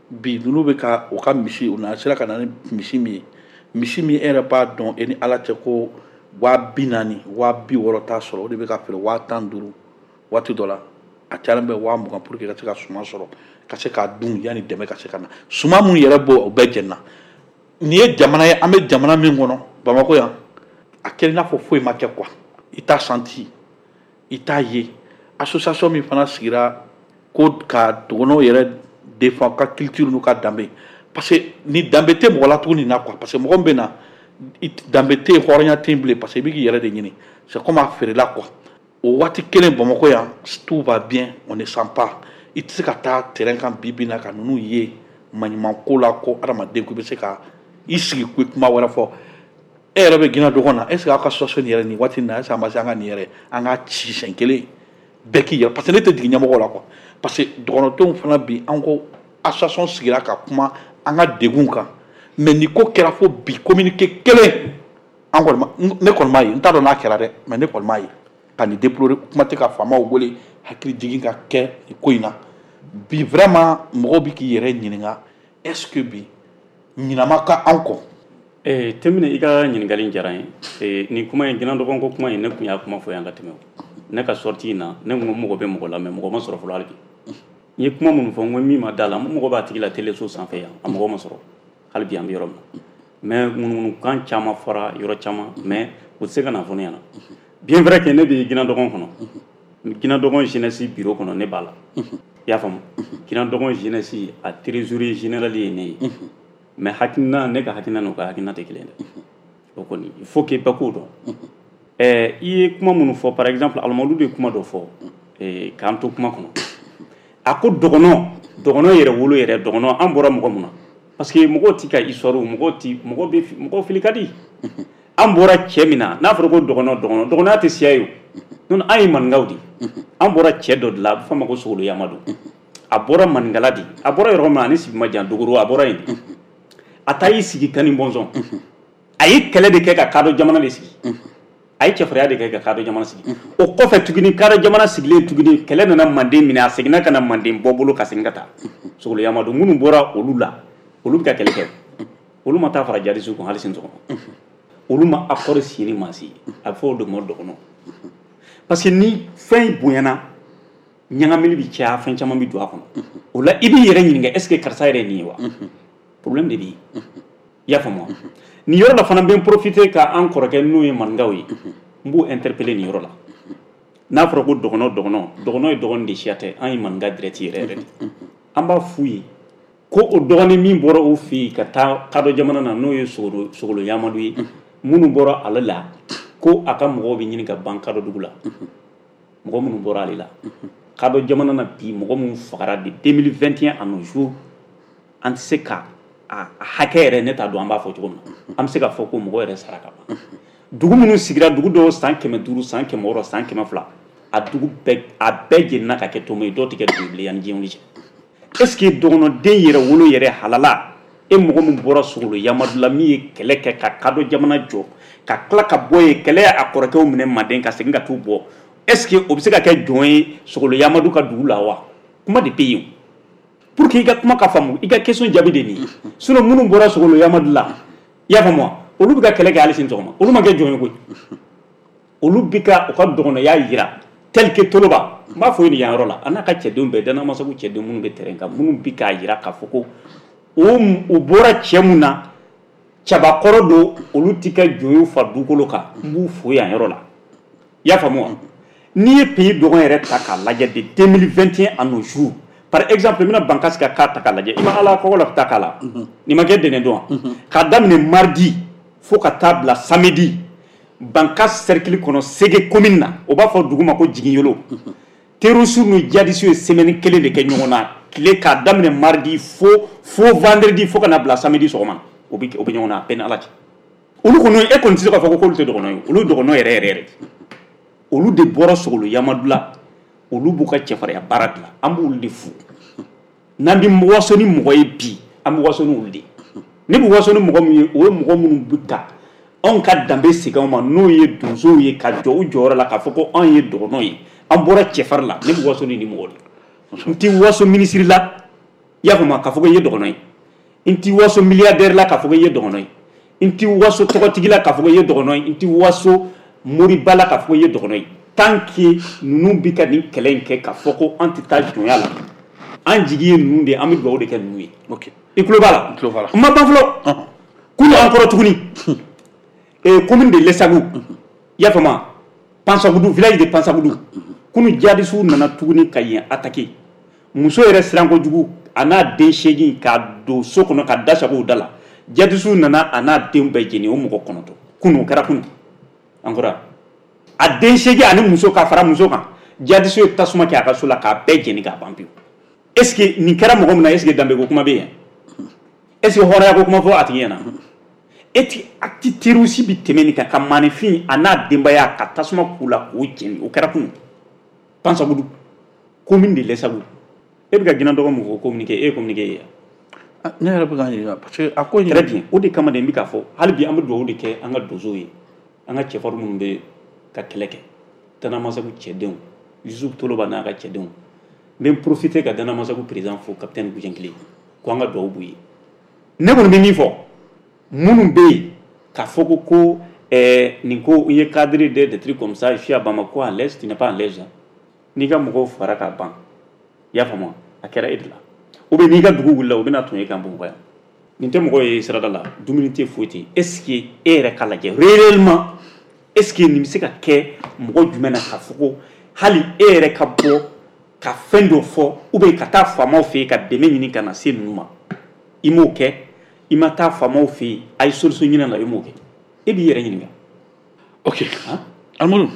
bi, ninnu bɛ ka u ka misi, u na sera ka na ni misi min ye, misi min e yɛrɛ b'a dɔn e ni Ala cɛ ko 40,000, 60,000 t'a sɔrɔ, o de bɛ ka feere 15,000 waati dɔ la. A cayalen bɛ 20 000 pour que ka se ka suman sɔrɔ, ka se k'a dun yanni dɛmɛ ka se ka na. Suman mun yɛrɛ b'o, o bɛɛ jɛnna. Nin ye jamana ye, an bɛ jamana min kɔnɔ, Bamakɔ yan, a kɛra i n'a fɔ foyi ma kɛ quoi. I t'a senti, i t'a ye. Association min fana sigira ko ka dɔgɔnɔw yɛrɛ défend, ka culture n'u ka danbe, parce que ni danbe tɛ mɔgɔ la tuguni na quoi. Parce que mɔgɔ min bɛ na, danbe tɛ yen, hɔrɔnya tɛ yen bilen, parce que i bɛ k'i yɛrɛ de ɲini, c'est comme a feerela quoi. O waati kelen, Bamakɔ yan, tout va bien, on ne sent pas. I tɛ se ka taa terrain kan bi bi in na ka ninnu ye maɲumanko la, ko adamaden ko i bɛ se ka i sigi ko kuma wɛrɛ fɔ. E yɛrɛ bɛ Guinée dɔgɔn na, est ce que aw ka situation nin yɛrɛ, nin waati in na, est ce que a ma se an ka nin yɛrɛ, an ka ci siɲɛ kelen bɛɛ k'i yɛrɛ? Parce que ne tɛ jigin ɲɛmɔgɔ la quoi. Parce que dɔgɔnɔdenw fana bi, an ko association sigira ka kuma an ka degun kan, mais nin ko kɛra fo bi, communiqué kelen an kɔni ma, ne kɔni m'a ye. N t'a dɔn n'a kɛra dɛ, mais ne kɔni m'a ye ka nin déplorer. Kuma tɛ ka faamaw wele, hakili jigin ka kɛ nin ko in na bi. Vraiment, mɔgɔw bɛ k'i yɛrɛ ɲininka, est ce que bi ɲinama ka an kɔ? Temine, i ka ɲininkali diyara n ye. Nin kuma in, Guinée dɔgɔn ko kuma in, ne tun y'a kuma fɔ yan ka tɛmɛ. Ne ka sortie in na, ne ko mɔgɔ bɛ mɔgɔ la, mais mɔgɔ ma sɔrɔ fɔlɔ hali bi. N ye kuma minnu fɔ, n ko min ma da la, n mɔgɔ b'a tigi la teleso sanfɛ yan, a mɔgɔ ma sɔrɔ hali bi. An bɛ yɔrɔ min na, mais ŋunuŋunukan caman fɔra yɔrɔ caman, mais u tɛ se ka na fɔ ne ɲɛna. Bien vrai que ne bɛ Guinée dɔgɔn kɔnɔ, Guinée dɔgɔn jeunesse bureau kɔnɔ, ne b'a la, i y'a faamu. Guinée dɔgɔn jeunesse a trésorier général ye ne ye, mais hakilina, ne ka hakilina n'u ka hakilina tɛ kelen dɛ. O kɔni, il faut que bɛɛ k'o dɔn. I ye kuma minnu fɔ, par exemple Alimadu de ye kuma dɔ fɔ k'an to kuma kɔnɔ. A ko dɔgɔnɔ, dɔgɔnɔ yɛrɛ wolo yɛrɛ, dɔgɔnɔ an bɔra mɔgɔ mun na, parce que mɔgɔw ti ka histoire, mɔgɔw ti, mɔgɔ bɛ mɔgɔ fili ka di. An bɔra cɛ min na, n'a fɔra ko dɔgɔnɔ, dɔgɔnɔ, dɔgɔnɔya tɛ siya ye o. Non, an ye maninkaw de ye. An bɔra cɛ dɔ de la, a bɛ fɔ a ma ko Sogolo Yamadu. A bɔra maninkala de. A bɔra yɔrɔ min na, ani Sibi ma jan, Dogoro, a bɔra yen de. A taa y'i sigi Kani Bɔnsɔn. A ye kɛlɛ de kɛ ka kadɔ jamana de sigi. A ye cɛfarinya de kɛ ka kadɔ jamana sigi. O kɔfɛ tuguni, kadɔ jamana sigilen tuguni, kɛlɛ nana Manden minɛ, a seginna ka na Manden bɔ bolo ka segin ka taa. Sogolo Yamadu minnu bɔra olu la, olu bɛ ka kɛlɛ kɛ, olu ma taa fara jadisiw kun hali sini sɔgɔma, olu ma accord signé ni maa si ye. A bɛ fɔ o de ma dɔgɔnɔ, parce que ni fɛn bonyana, ɲagamili bɛ caya, fɛn caman bɛ don a kɔnɔ. O la, i b'i yɛrɛ ɲininka, est ce que karisa yɛrɛ ye nin ye wa? Problème de bɛ yen, i y'a faamu wa? Nin yɔrɔ la fana, n bɛ n profiter ka an kɔrɔkɛ n'o ye maninkaw ye, n b'o interpeller nin yɔrɔ la. N'a fɔra ko dɔgɔnɔ, dɔgɔnɔ, dɔgɔnɔ ye dɔgɔnin de, siya tɛ. An ye maninka direct yɛrɛ yɛrɛ de. An b'a f'u ye ko o dɔgɔnin min bɔra o fɛ yen ka taa kadɔ jamana na, n'o ye Sogolo Yamadu ye, minnu bɔra ale la, ko a ka mɔgɔw bɛ ɲini ka ban kadɔ dugu la. Mɔgɔ minnu bɔra ale la kadɔ jamana na bi, mɔgɔ minnu fagara de 2021 à nos jours, an tɛ se ka a hakɛ yɛrɛ, ne t'a dɔn an b'a fɔ cogo min na. An bɛ se k'a fɔ ko mɔgɔ yɛrɛ sara ka ban. Dugu minnu sigira, dugu dɔw san 500, san 600, san 200, a dugu bɛɛ, a bɛɛ jenina ka kɛ tomo ye. Dɔw tɛ kɛ dugu ye bilen yanni diɲɛ wuli cɛ. Est ce que dɔgɔnɔden yɛrɛ wolo yɛrɛ halala, e mɔgɔ min bɔra Sogolo Yamadu la, min ye kɛlɛ kɛ ka kadɔ jamana jɔ, ka tila ka bɔ yen, kɛlɛ a kɔrɔkɛw minɛ Manden ka segin ka t'u bɔ, est ce que o bɛ se ka kɛ jɔn ye Sogolo Yamadu ka dugu la wa? Kuma de bɛ yen pour que i ka kuma ka faamu. I ka question jaabi de nin ye. Sinon minnu bɔra Sogolo Yamadu la, i y'a faamu wa, olu bɛ ka kɛlɛ kɛ hali sini sɔgɔma, olu ma kɛ jɔn ye koyi. Olu bɛ ka u ka dɔgɔnɔya yira tel que Toloba. N b'a fɔ ye nin yan yɔrɔ la, a n'a ka cɛdenw bɛɛ, Danamasagu cɛden minnu bɛ terrain kan, minnu bɛ k'a yira k'a fɔ ko o bɔra cɛ mun na, cabakɔrɔ don, olu ti kɛ jɔn ye fa dugukolo kan. N b'u fo yan yɔrɔ la, i y'a faamu wa? N'i ye pays dɔgɔn yɛrɛ ta k'a lajɛ de 2021 à nos jours, par exemple n bɛna Bankasi ka cas ta k'a lajɛ, i ma ala kɔgɔ la ta k'a la, nin ma kɛ dɛnɛn don wa? K'a daminɛ mardi fo ka taa bila samedi, Bankas cercle kɔnɔ, Sege commune na, o b'a fɔ dugu ma ko Jiginyolo, terroristes ni djihadistes ye semaine kelen de kɛ ɲɔgɔn na, tile k'a daminɛ mardi fo vendredi, fo ka na bila samedi sɔgɔma, o bɛ ɲɔgɔn na a bɛɛ ni Ala cɛ. Olu kɔni, e kɔni tɛ se k'a fɔ ko k'olu tɛ dɔgɔnɔ ye. Olu dɔgɔnɔ yɛrɛ yɛrɛ yɛrɛ, olu de bɔra Sogolo Yamadu la, olu b'u ka cɛfarinya baara dilan. An b'olu de fo. N'an bɛ waso ni mɔgɔ ye bi, an bɛ waso ni olu de ye. Ne bɛ waso ni mɔgɔ min ye, o ye mɔgɔ minnu bɛ ka anw ka danbe segin anw ma, n'o ye donsow ye, ka jɔ u jɔyɔrɔ la k'a fɔ ko anw ye dɔgɔnɔ ye, an bɔra cɛfarin la. Ne bɛ waso ni nin mɔgɔ de. N tɛ waso minisiri la, i y'a faamu, k'a fɔ ko i ye dɔgɔnɔ ye. N tɛ waso milliardaire la k'a fɔ ko i ye dɔgɔnɔ ye. N tɛ waso tɔgɔtigi la k'a fɔ ko i ye dɔgɔnɔ ye. N tɛ waso moriba la k'a fɔ ko i ye dɔgɔnɔ ye. Tant que ninnu bɛ ka nin kɛlɛ in kɛ k'a fɔ ko an tɛ taa jɔnya la, an jigi ye ninnu de ye, an bɛ dugawu de kɛ ninnu ye. Ok. I tulo b'a la? N tulo b'a la. N ma ban fɔlɔ. Kunu an kɔrɔ tuguni, commune de Lessagu, i y'a faamu, Pansagudu, village de Pansagudu, kunu jihadisiw nana tuguni ka yen attaquer. Muso yɛrɛ siran kojugu, a n'a den 8 k'a don so kɔnɔ ka da sago u da la. Jihadisiw nana a n'a denw bɛɛ jeni, o mɔgɔ 9. Kunu o kɛra kunu encore. A den 8 ani muso ka fara muso kan, jihadisiw ye tasuma kɛ a ka so la k'a bɛɛ jeni k'a ban pewu. Est ce que nin kɛra mɔgɔ min na, est ce que danbeko kuma bɛ yen? Est ce que hɔrɔnya ko kuma fɔ a tigi ɲɛna? E ti acte terroriste bi tɛmɛ nin kan ka maaninfin a n'a denbaya ka tasuma k'u la k'o jeni? O kɛra kunu Pansagudu, commune de Lessagu. E bɛ ka Ginna dɔgɔ mun fɔ communiqué, e ye communiqué ye? Ne yɛrɛ bɛ ka ɲininka parce que a ko in. Très bien. O de kama de n bɛ k'a fɔ, hali bi an bɛ dugawu de kɛ an ka donsow ye, an ka cɛfarin minnu bɛ ka kɛlɛ kɛ, Tanamasagu cɛdenw, Yusuf Toloba n'a ka cɛdenw. N bɛ n profiter ka Danamasagu président fo, capitaine Gujenkile, ko an ka dugawu b'u ye. Ne kɔni bɛ min fɔ, minnu bɛ yen k'a fɔ ko nin ko n ye cadre de des trucs comme ça, je suis à Bamako à l'aise, tu n'es pas à l'aise. N'i ka mɔgɔw fara k'a ban, i y'a faamu, a kɛra e de la. Ou bien n'i ka dugu wulila, u bɛna tun e kan Bamakɔ yan. Nin tɛ mɔgɔ ye sirada la, dumuni tɛ, foyi tɛ. Est ce que e yɛrɛ k'a lajɛ réellement, est ce que nin bɛ se ka kɛ mɔgɔ jumɛn na k'a fɔ ko hali e yɛrɛ ka bɔ ka fɛn dɔ fɔ, ou bien ka taa faamaw fɛ yen ka dɛmɛ ɲini ka na se ninnu ma? I m'o kɛ, i ma taa faamaw fɛ yen a ye solution ɲini la, i m'o kɛ. E b'i yɛrɛ ɲininka. Ok, Alimadu.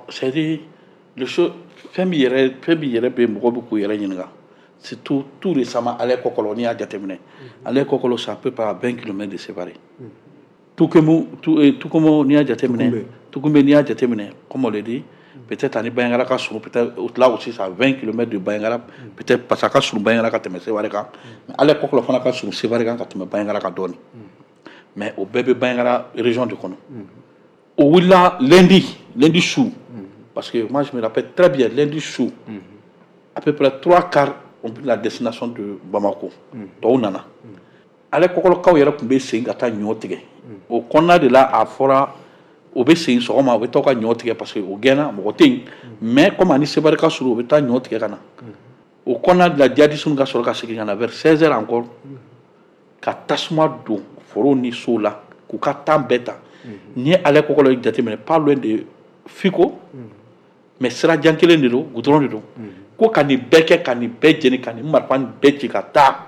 C'est à dire le chose, fɛn min yɛrɛ, fɛn min yɛrɛ bɛ mɔgɔ bɛ k'u yɛrɛ ɲininka, surtout tout récemment ale Kɔkɔlɔ, n'i y'a jateminɛ, ale Kɔkɔlɔ, c'est à peu près à 20 km de Sévaré. Tukemu, Tukumo, n'i y'a jateminɛ, Tukumbe, n'i y'a jateminɛ, comme on le dit, peut-être ani Bandiagara ka surun, peut-être là aussi c'est à 20 km de Bandiagara, peut-être parce que a ka surun Bandiagara ka tɛmɛ Sévaré kan. Mais ale Kɔkɔlɔ fana ka surun Sévaré kan ka tɛmɛ Bandiagara kan dɔɔnin, mais o bɛɛ bɛ Bandiagara région de kɔnɔ. O wulila lundi, lundi su, parce que moi je me rappelle très bien, lundi su, à peu près trois quarts ont pris la destination de Bamako. Tɔw nana. Ale Kɔkɔlɔkaw yɛrɛ tun bɛ segin ka taa ɲɔ tigɛ. O kɔnɔna de la, a fɔra o bɛ segin sɔgɔma, u bɛ taa ka ɲɔ tigɛ parce que o gɛnna, mɔgɔ tɛ yen. Mais comme ani Sévaré ka surun, u bɛ taa ɲɔ tigɛ ka na. O kɔnɔna de la, djihadistes ka sɔrɔ ka segin ka na vers 16 heures encore, ka tasuma don foro ni sow la k'u ka temps bɛɛ ta. N'i ye ale Kɔkɔlɔ jateminɛ, pas loin de Fiko, mais sira jan kelen de don, goudron de don, ko ka nin bɛɛ kɛ, ka nin bɛɛ jeni, ka nin marifa nin bɛɛ ci ka taa.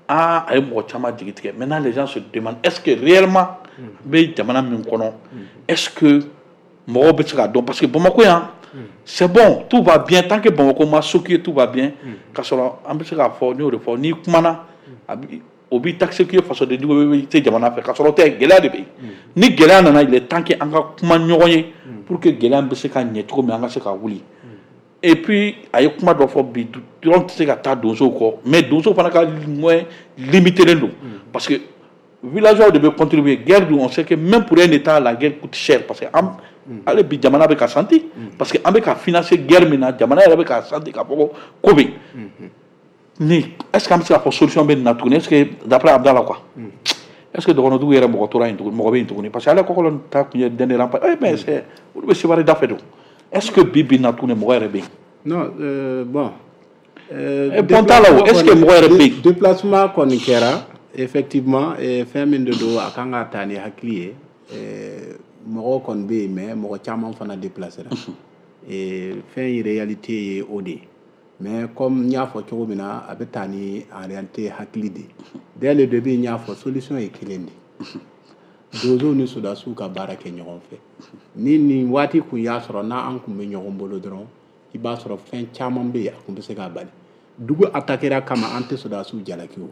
Aa, a ye mɔgɔ caman jigi tigɛ. Maintenant les gens se demandent, est-ce que réellement n bɛ jamana min kɔnɔ, est-ce que mɔgɔw bɛ se k'a dɔn? Parce que Bamakɔ yan, c'est bon, tout va bien. Tant que Bamakɔ ma choqué, tout va bien. K'a sɔrɔ an bɛ se k'a fɔ, n y'o de fɔ, n'i kumana a bi o b'i taxer k'i ye fasoden jugu, i tɛ jamana fɛ, k'a sɔrɔ o tɛ. Gɛlɛya de bɛ yen. Ni gɛlɛya nana, il est temps que an ka kuma ɲɔgɔn ye pour que gɛlɛya bɛ se ka ɲɛ cogo min, an ka se ka wuli. Et puis a ye kuma dɔ fɔ bi dɔrɔn, tɛ se ka taa donsow kɔ, mais donsow fana ka moyen limité don, parce que villageois de bɛ contribuer. Guerre dun, on sait que même pour un état, la guerre coûte cher, parce que an ale bi jamana bɛ ka santi, parce que an bɛ ka financer guerre min na, jamana yɛrɛ bɛ ka santi k'a fɔ ko ko bɛ ni. Est ce que an bɛ se k'a fɔ solution bɛ nin na tuguni? Est ce que d'après Abdallah quoi, est ce que dɔgɔnɔdugu yɛrɛ mɔgɔ tora yen tuguni, mɔgɔ bɛ yen tuguni? Parce que ale Kɔkɔlɔ ta tun ye dernier rempart. Eh mais c'est olu bɛ Sévaré da fɛ don. Est ce que bi bi in na tuguni mɔgɔ yɛrɛ bɛ yen? Non, bon. Bon t'a la o, est ce que mɔgɔ yɛrɛ bɛ yen? Déplacement kɔni kɛra effectivement, fɛn min de don, a kan ka taa ni hakili ye. Mɔgɔw kɔni bɛ yen, mais mɔgɔ caman fana déplacera. Fɛn in réalité ye o de ye. Mais comme n y'a fɔ cogo min na, a bɛ taa ni en réalité hakili de ye. Dès le début, n y'a fɔ, solution ye kelen de ye: donsow ni sodasiw ka baara kɛ ɲɔgɔn fɛ. Ni nin waati kun y'a sɔrɔ n'an kun bɛ ɲɔgɔn bolo dɔrɔn, i b'a sɔrɔ fɛn caman bɛ yen, a kun bɛ se k'a bali. Dugu attaquera kama, an tɛ sodasiw jalaki. O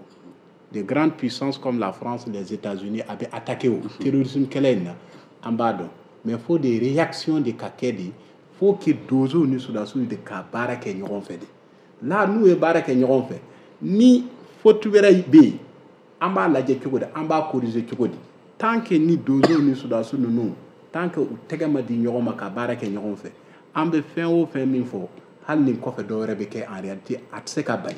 de grandes puissances comme la France, les États-Unis, a bɛ attaquer o terrorisme kɛlɛ in na, an b'a dɔn. Mais faut des réactions de ka kɛ de, faut que donsow ni sodasiw de ka baara kɛ ɲɔgɔn fɛ de. Là, n'u ye baara kɛ ɲɔgɔn fɛ, ni faute wɛrɛ bɛ yen, an b'a lajɛ cogo di, an b'a corriger cogo di. Tant que ni donsow ni sodasiw ninnu, tant que u tɛgɛ ma di ɲɔgɔn ma ka baara kɛ ɲɔgɔn fɛ, an bɛ fɛn o fɛn min fɔ, hali ni kɔfɛ dɔ wɛrɛ bɛ kɛ, en réalité a tɛ se ka bali.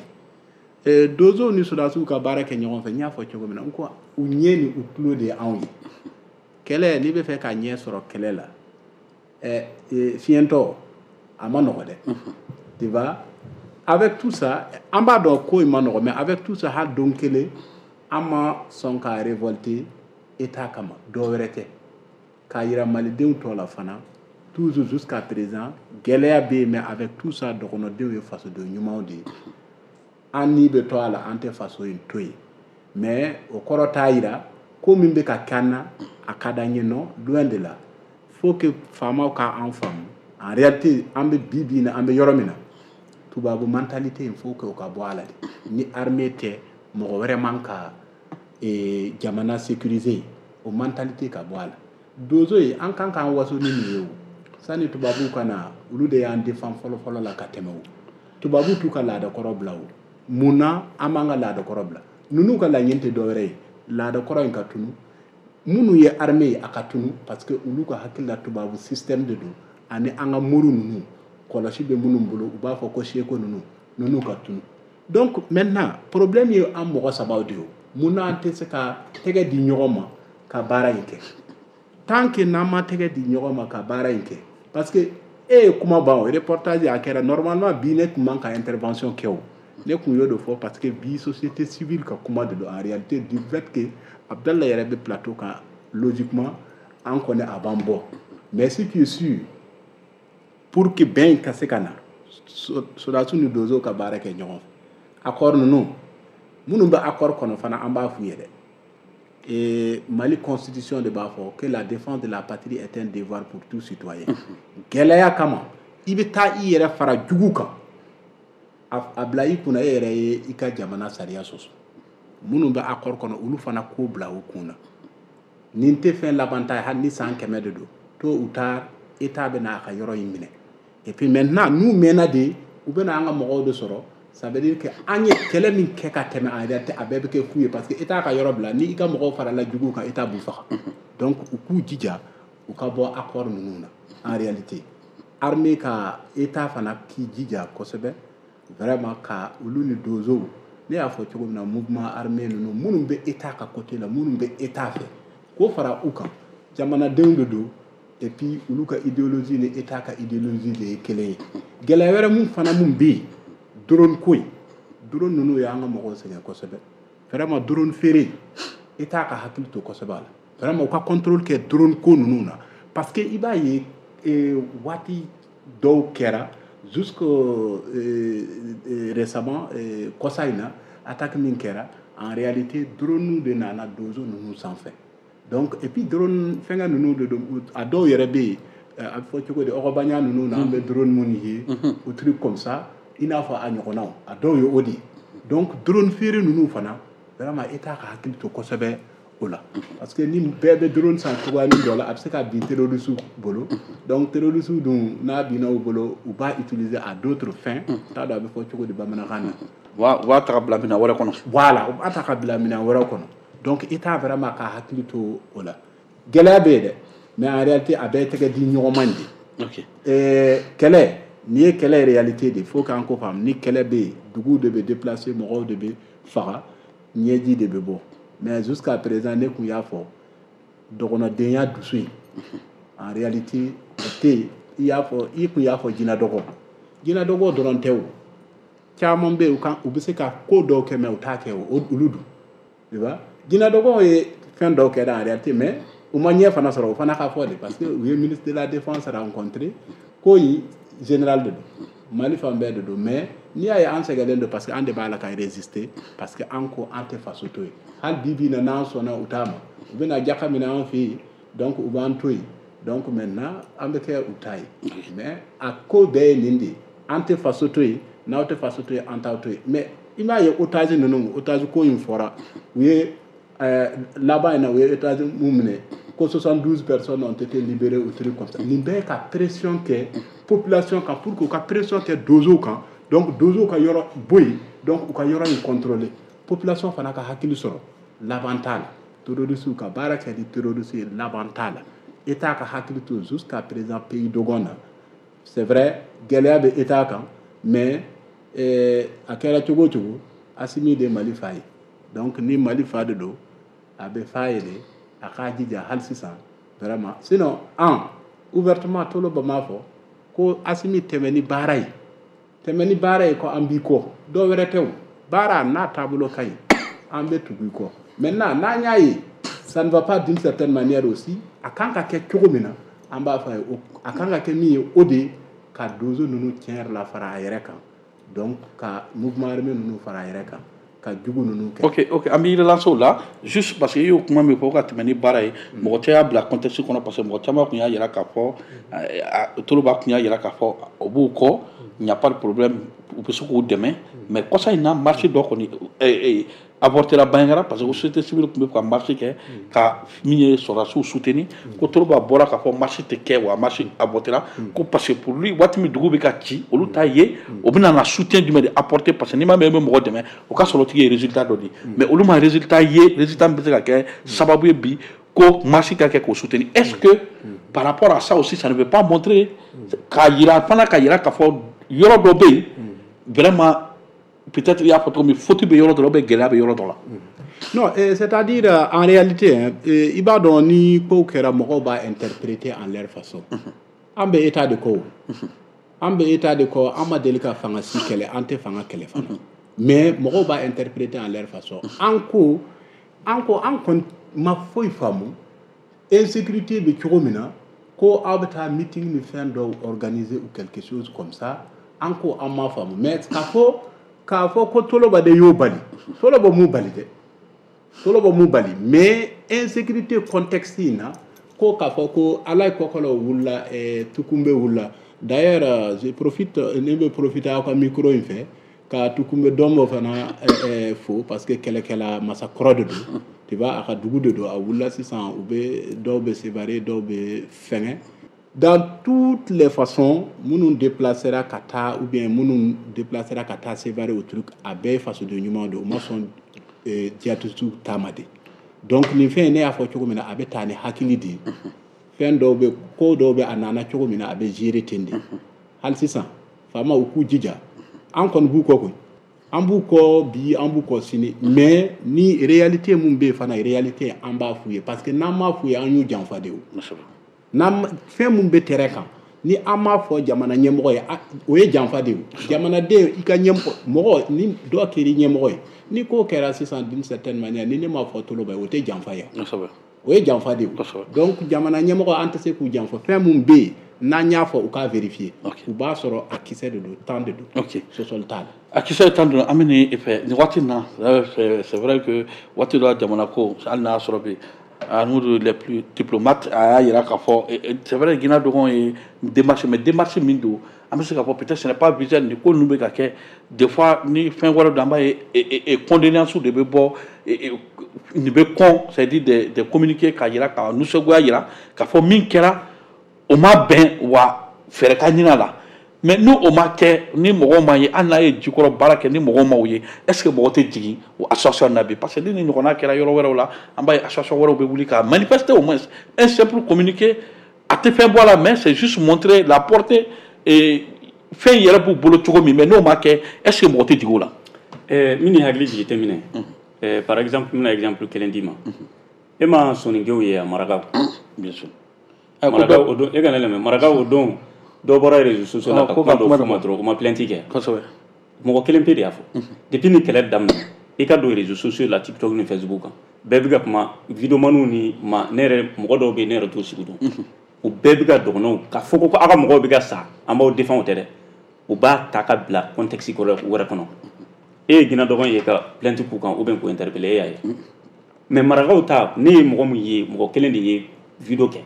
Donsow ni sodasiw ka baara kɛ ɲɔgɔn fɛ, n y'a fɔ cogo min na, n ko u ɲɛ ni u tulo de ye anw ye. Kɛlɛ, n'i bɛ fɛ ka ɲɛ sɔrɔ kɛlɛ la, Fiɲɛtɔ a ma nɔgɔ dɛ, tu vois. Avec tout ça, an b'a dɔn ko in ma nɔgɔ, mais avec tout ça, hali don kelen an ma sɔn ka révolter État kama. Dɔ wɛrɛ tɛ, k'a yira malidenw tɔ la fana, toujours jusqu'à présent gɛlɛya bɛ yen, mais avec tout ça, dɔgɔnɔdenw ye fasoden ɲumanw de ye. An ni bɛ to a la, an tɛ faso in to yen, mais o kɔrɔ t'a yira ko min bɛ ka kɛ an na a ka d'an ye. Non, loin de là. Faut que faamaw k'an faamu. En réalité, an bɛ bi bi in na, an bɛ yɔrɔ min na, tubabu mentalité in, faut que o ka bɔ a la de. Ni armée tɛ, mɔgɔ wɛrɛ man ka jamana sécuriser, o mentalité ka bɔ a la. Donso ye, an kan k'an waso ni nin ye. O sani tubabuw ka na, olu de y'an défend fɔlɔ fɔlɔ la ka tɛmɛ. O tubabuw t'u ka laadakɔrɔ bila. O mun na an b'an ka laadakɔrɔ bila? Ninnu ka laɲini tɛ dɔwɛrɛ ye, laadakɔrɔ in ka tunu, minnu ye armée ye a ka tunu, parce que olu ka hakili la tubabu système de don, ani an ka mori ninnu kɔlɔsi bɛ minnu bolo, u b'a fɔ ko seko ninnu ka tunu. Donc maintenant, problème ye an mɔgɔ sabaw de ye. Mun na an tɛ se ka tɛgɛ di ɲɔgɔn ma ka baara in kɛ? Tant que n'an ma tɛgɛ di ɲɔgɔn ma ka baara in kɛ, parce que e ye kuma ban, o reportage a kɛra normalement bi, ne tun man ka intervention kɛ. O ne kun y'o de fɔ, parce que bi société civile ka kuma de don. En réalité, du fait que Abdallah yɛrɛ bɛ plateau kan, logiquement an kɔni a b'an bɔ. Mais ce qui est sûr, pour que bɛn ka se ka na, sɔrɔdasiw ni donsow ka baara kɛ ɲɔgɔn fɛ, accord ninnu, minnu bɛ accord kɔnɔ fana, an b'a f'u ye dɛ. Et Mali constitution de b'a fɔ que la défense de la patrie est un devoir pour tout citoyen. Gɛlɛya kama i bɛ taa i yɛrɛ fara jugu kan, a bila i kunna e yɛrɛ ye i ka jamana sariya sɔsɔ. Minnu bɛ accord kɔnɔ, olu fana k'o bila u kun na. Nin tɛ fɛn laban ta ye, hali ni san 100 de don, tôt ou tard État bɛ n'a ka yɔrɔ in minɛ. Et puis maintenant, n'u mɛnna de, u bɛ na an ka mɔgɔw de sɔrɔ. Ça veut dire que an ye kɛlɛ min kɛ ka tɛmɛ, en réalité a bɛɛ bɛ kɛ fu ye, parce que État ka yɔrɔ bila, ni i ka mɔgɔw farala juguw kan, État b'u faga. Donc u k'u jija u ka bɔ accord ninnu na. En réalité, armée ka État fana k'i jija kosɛbɛ vraiment ka olu ni donsow, ne y'a fɔ cogo min na, mouvement armé ninnu, minnu bɛ État ka côté la, minnu bɛ État fɛ, k'o fara u kan. Jamanadenw de don, et puis olu ka idéologie ni État ka idéologie de ye kelen ye. Gɛlɛya wɛrɛ mun fana mun bɛ yen, drone ko in, drone ninnu y'an ka mɔgɔw sɛgɛn kosɛbɛ. Vraiment, drone feere, État ka hakili to kosɛbɛ a la. Vraiment, u ka contrôle kɛ drone ko ninnu na, parce que i b'a ye waati dɔw kɛra, jusque récemment, kɔsa in na, attaque min kɛra, en réalité drone de nana donso ninnu sanfɛ. Donc et puis drone fɛngɛ ninnu de don, a dɔw yɛrɛ bɛ yen, a bɛ fɔ cogo di, ɔgɔbanya ninnu na, an bɛ drone minnu ye ou truc comme ça, i n'a fɔ a ɲɔgɔnnaw, a dɔw ye o de ye. Donc drone feere ninnu fana, vraiment État ka hakili to kosɛbɛ o la, parce que ni bɛɛ bɛ drone san cogoyanin dɔ la, a bɛ se ka bin terroriste bolo. Donc terroriste dun, n'a binna u bolo, u b'a utiliser à d'autres fins. T'a dɔn a bɛ fɔ cogo di bamanankan na. U b'a ta ka bila minɛn wɛrɛ kɔnɔ. Voilà, u b'a ta ka bila minɛn wɛrɛ kɔnɔ. Donc État vraiment ka hakili to o la. Gɛlɛya bɛ yen dɛ, mais en réalité a bɛɛ tɛgɛ di ɲɔgɔn ma de. Kɛlɛ nin ye kɛlɛ réalité de, faut k'an ko faamu. Ni kɛlɛ bɛ yen, duguw de bɛ déplacer, mɔgɔw de bɛ faga, ɲɛji de bɛ bɔ. Mais jusqu'à présent, ne kun y'a fɔ, dɔgɔnɔdenya dusu in, en réalité o tɛ yen. I y'a fɔ, i kun y'a fɔ jinɛdɔgɔ, jinɛdɔgɔ dɔrɔn tɛ, o caman bɛ yen, u kan u bɛ se ka ko dɔw kɛ, mais u t'a kɛ. O olu dun, tu vois, jinɛdɔgɔw ye fɛn dɔw kɛ en réalité, mais u ma ɲɛ fana sɔrɔ. O fana ka fɔ de, parce que u ye ministre de la défense rencontré, ko in général de don, Mali fan bɛɛ de don. Mais n'i y'a ye an sɛgɛnlen don, parce que an de b'a la ka résister, parce que an ko an tɛ faso to yen. Hali bi bi in na, n'an sɔnna u ta ma, u bɛna jaka minɛ an fɛ yen, donc u b'an to yen. Donc maintenant an bɛ kɛ u ta ye. Mais a ko bɛɛ ye nin de ye: an tɛ faso to yen, n'aw tɛ faso to yen, an t'aw to yen. Mais i m'a ye, otage ninnu, otage ko in fɔra, u ye laban in na, u ye otage mun minɛ, ko 72 personnes ont été libérées ou truc comme ça. Nin bɛɛ ka pression kɛ population kan, pour que u ka pression kɛ donsow kan, donc donsow ka yɔrɔ bɔ yen, donc u ka yɔrɔ in contrôler. Population fana ka hakili sɔrɔ, laban t'a la. Terroristes ka baara kɛ ni terroriste ye, laban t'a la. État ka hakili to jusqu'à présent pays dogon na. C'est vrai, gɛlɛya bɛ État kan, mais a kɛra cogo o cogo, Asimi de Mali fa ye. Donc ni Mali fa de don, a bɛ fa ye de, a k'a jija hali sisan vraiment. Sinon an Ouvertement Toloba m'a fɔ ko Assimi tɛmɛ ni baara ye, tɛmɛ ni baara ye, ko an b'i kɔ. Dɔw wɛrɛ tɛ, o baara n'a taabolo ka ɲi, an bɛ tugu i kɔ. Maintenant, n'an y'a ye ça ne va pas d'une certaine manière aussi, a kan ka kɛ cogo min na, an b'a fɔ a ye a kan ka kɛ min ye, o de ye ka donso ninnu tiɲɛ yɛrɛ la fara a yɛrɛ kan, donc ka mouvement armé ninnu fara a yɛrɛ kan, ka jugu ninnu kɛ. Ok, an b'i relancer o la juste parce que i y'o kuma min fɔ ka tɛmɛ ni baara ye, mɔgɔ cɛ y'a bila contexte kɔnɔ, parce que mɔgɔ caman tun y'a yira k'a fɔ, Toloba tun y'a yira k'a fɔ o b'u kɔ, il n'y a pas de problème, u bɛ se k'u dɛmɛ. Mais kɔsa in na, marche dɔ kɔni avorté la Bandiagara, parce que société civile tun bɛ ka marche kɛ ka min ye sɔrɔdasiw soutenir, ko Toloba bɔra k'a fɔ marche tɛ kɛ, wa marche avorté la, ko parce que pour lui, waati min dugu bɛ ka ci, olu t'a ye o bɛna na soutien jumɛn de apporter, parce que n'i ma mɛn i bɛ mɔgɔ dɛmɛ, o ka sɔrɔ o tigi ye résultat dɔ di, mais olu ma résultat ye, résultat min bɛ se ka kɛ sababu ye bi ko marche ka kɛ k'o soutenir. Est-ce que par rapport à ça aussi, ça ne veut pas montrer k'a yira fana, k'a yira k'a fɔ yɔrɔ dɔ bɛ yen, vraiment, peut-être i y'a fɔ cogo min, faute bɛ yɔrɔ dɔ la ou bien gɛlɛya bɛ yɔrɔ dɔ la? Non, c'est-à-dire en réalité, hein, i b'a dɔn, ni kow kɛra, mɔgɔw b'a interpréter en leur façon. An bɛ état de kɔ o. An bɛ état de kɔ, an ma deli ka fanga si kɛlɛ, an tɛ fanga kɛlɛ fana. Mais mɔgɔw b'a interpréter en leur façon. An ko, an kɔni ma foyi faamu insécurité bɛ cogo min na, ko aw bɛ taa meeting ni fɛn dɔw organiser ou quelque chose comme ça. An ko an m'a faamu, mais k'a fɔ ko Toloba de y'o bali, Toloba m'u bali dɛ, Toloba m'u bali. Mais insécurité contexte in na, ko k'a fɔ ko Alayi Kɔkɔlɔ wulila, Tukunbe wulila. D'ailleurs, je profite, ne bɛ profiter aw ka micro in fɛ ka Tukunbe Dɔnbɔ fana fo, parce que kɛlɛkɛla masakɔrɔ de don, tu vois, a ka dugu de don. A wulila sisan, u bɛ dɔw bɛ Sévaré, dɔw bɛ fɛngɛ. Dans toutes les façons, minnu déplacera ka taa ou bien minnu déplacera ka taa Sévaré, o truc a bɛɛ ye fasoden ɲuman de ye, u ma sɔn djihadiste ta ma de. Donc nin fɛn in, ne y'a fɔ cogo min na, a bɛ taa ni hakili de ye. Fɛn dɔw bɛ, ko dɔw bɛ, a nana cogo min na, a bɛ gérer ten de. Hali sisan, faamaw u k'u jija, an kɔni b'u kɔ koyi, an b'u kɔ bi, an b'u kɔ sini. Mais ni réalité mun bɛ yen fana, réalité an b'a f'u ye, parce que n'an m'a f'u ye, an y'u janfa de o. N'an fɛn mun bɛ terrain kan, ni an m'a fɔ jamana ɲɛmɔgɔ ye, o ye janfa de ye o. Jamanaden, i ka ɲɛmɔgɔ, mɔgɔ ni dɔ kɛra ɲɛmɔgɔ ye, ni ko kɛra sisan d'une certaine manière, ni ne m'a fɔ Toloba ye, o tɛ janfa ye, o ye janfa de ye. Donc jamana ɲɛmɔgɔ, an tɛ se k'u janfa. Fɛn mun bɛ yen, n'an y'a fɔ, u k'a vérifier, u b'a sɔrɔ a kisɛ de don, tan de don, sɔsɔli t'a la. A kisɛ tan don. An bɛ nin fɛ nin waati in na, c'est vrai que waati dɔ la, jamana ko, hali n'a y'a sɔrɔ bi nous les plus diplomates, a y'a yira k'a fɔ, c'est vrai, Guinée dɔgɔn ye démarche, mais démarche min don, an bɛ se k'a fɔ peut-être ce n'est pas visuel. Nin ko ninnu bɛ ka kɛ des fois ni fɛn wɛrɛ don, an b'a ye condoléances de bɛ bɔ, nin bɛ kɔn, c'est-à-dire des communiqués k'a yira, ka nisɔngoya yira k'a fɔ min kɛra, o ma bɛn, wa fɛɛrɛ ka ɲini a la. Mais ni o ma kɛ, ni mɔgɔw ma ye, hali n'a ye jikɔrɔ baara kɛ, ni mɔgɔw ma o ye, est ce que mɔgɔ tɛ jigin o association na bi? Parce que ni nin ɲɔgɔnna kɛra yɔrɔ wɛrɛw la, an b'a ye association wɛrɛw bɛ wuli ka manifester. Au moins un simple communiqué, a tɛ fɛn bɔ a la, mais c'est juste montrer la portée et fɛn yɛrɛ b'u bolo cogo min. Mais n'o ma kɛ, est ce que mɔgɔ tɛ jigin o la? Min ni hakili jigi tɛ minɛ, par exemple, n bɛna exemple kelen d'i ma. E ma soninkew ye a marakaw? Bien sûr. Marakaw o don, e ka ne lamɛn, marakaw o don, dɔ bɔra réseaux sociaux la ka kuma dɔ f'u ma dɔrɔn, u ma plainte kɛ. Mɔgɔ kelen pe de y'a fɔ. Depuis ni kɛlɛ daminɛ, i ka don réseaux sociaux la, TikTok ni Facebook kan, bɛɛ bɛ ka kuma, videomaniw ni ma ne yɛrɛ, mɔgɔ dɔw bɛ yen, ne yɛrɛ t'o sigi dɔn, u bɛɛ bɛ ka dɔgɔnɔw ka fɔ ko aw ka mɔgɔw bɛ ka sa, an b'aw défend. O tɛ dɛ, u b'a ta ka bila contexte wɛrɛ kɔnɔ. E ye Guinée dɔgɔn ye ka plainte k'u kan ou bien k'u interpeller, e y'a ye. Mais marakaw ta, ne ye mɔgɔ min ye, mɔgɔ kelen de ye vidéo kɛ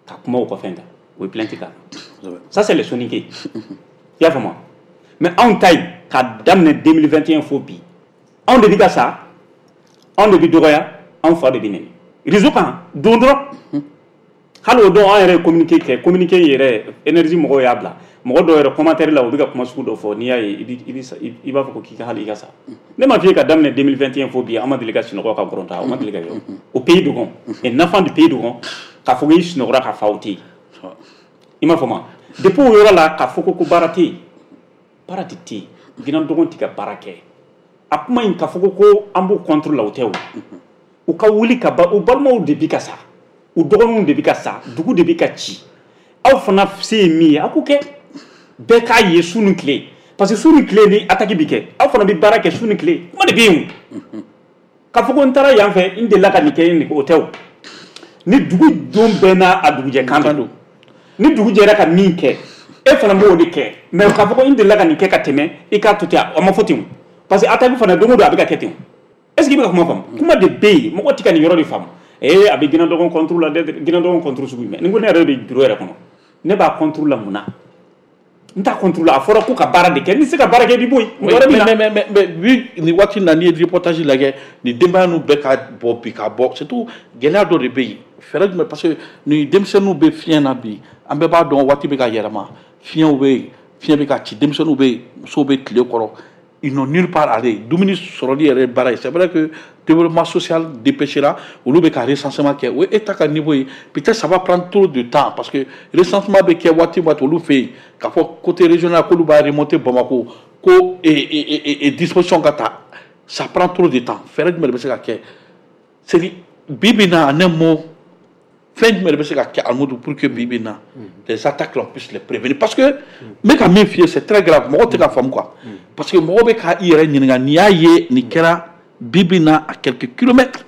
ka kuma u ka fɛn kan, o ye plainte k'a kan. Ça, c'est les soninké, i y'a faamu? Mais anw ta in, ka daminɛ 2021 fo bi, anw de bɛ ka sa, anw de bɛ dɔgɔya, anw fa de bɛ nɛni réseau kan don dɔrɔn. Hali o don, an yɛrɛ ye communiqué kɛ, communiqué yɛrɛ, énergie mɔgɔw y'a bila, mɔgɔ dɔw yɛrɛ commentaire la, u bɛ ka kuma sugu dɔ fɔ, n'i y'a ye, i b'a fɔ ko k'i ka hali i ka sa. Ne m'a f'i ye, ka daminɛ 2021 fo bi, an ma deli ka sunɔgɔ ka gɔrɔn o ma deli ka kɛ o pays dogon, un enfant du pays dogon k'a fɔ k'i sunɔgɔra ka fa, o tɛ yen, i m'a faamu? Depuis o yɔrɔ la, k'a fɔ ko baara tɛ yen, baara de tɛ yen, Guinée dɔgɔn tɛ ka baara kɛ. A kuma in k'a fɔ ko an b'u contre la, o tɛ o. U ka wuli ka ba, u balimaw de bi ka sa, u dɔgɔninw de bi ka sa, dugu de bi ka ci. Aw fana se ye min ye, aw k'o kɛ. Bɛɛ k'a ye su ni tile, parce que su ni tile ni attaque bi kɛ, aw fana bɛ baara kɛ su ni tile. Kuma de bɛ yen o. K'a fɔ ko n taara yan fɛ, n delila ka nin kɛ, nin o tɛ o. Ni dugu don bɛɛ n'a a dugujɛ kan don, ni dugu jɛra ka min kɛ, e fana b'o de kɛ. Mais k'a fɔ ko n delila ka nin kɛ ka tɛmɛ, i k'a to ten, a ma fɔ ten o. Parce que attaque fana, don o don a bɛ ka kɛ ten. Est ce que i bɛ ka kuma faamu? Kuma de bɛ yen, mɔgɔ tɛ ka nin yɔrɔ de faamu. Ee, a bɛ Guinadogon contre la dɛ, Guinadogon contre sugu jumɛn? Ni ko ne yɛrɛ bɛ bureau yɛrɛ kɔnɔ, ne b'a contre la mun na? N t'a contre la. A fɔra ko ka baara de kɛ, n'i tɛ se ka baara kɛ, i bɛ bɔ yen. Mɔgɔ wɛrɛ bɛ na. Mais vu nin waati in na, n'i ye reportage lajɛ, nin denbaya ninnu bɛɛ ka bɔ bi, ka bɔ, surtout gɛlɛya dɔ de bɛ yen. Fɛɛrɛ jumɛn? Parce que nin denmisɛnninw bɛ fiɲɛ na bi, an bɛɛ b'a dɔn waati bɛ ka yɛlɛma, fiɲɛw bɛ yen, fiɲɛ bɛ ka ci, denmisɛnninw bɛ yen, musow bɛ tile kɔrɔ, ils n'ont nulle part à aller. Dumuni sɔrɔli yɛrɛ ye baara ye. C'est vrai que développement social dépêchera, olu bɛ ka recensement kɛ, o ye état ka niveau ye. Peut-être ça va prendre trop de temps, parce que recensement bɛ kɛ waati o waati olu fɛ yen, k'a fɔ côté régional k'olu b'a remonter Bamako ko et disposition ka ta, ça prend trop de temps. Fɛɛrɛ jumɛn de bɛ se ka kɛ? C'est bi bi in na, en un mot, fɛn jumɛn de bɛ se ka kɛ, Alimudu, pour que bi bi in na, les attaques là, on puisse les prévenir? Parce que n bɛ ka min f'i ye, c'est très grave, mɔgɔw tɛ ka faamu quoi, parce que mɔgɔw bɛ ka i yɛrɛ ɲininka n'i y'a ye nin kɛra bi bi in na à quelques kilomètres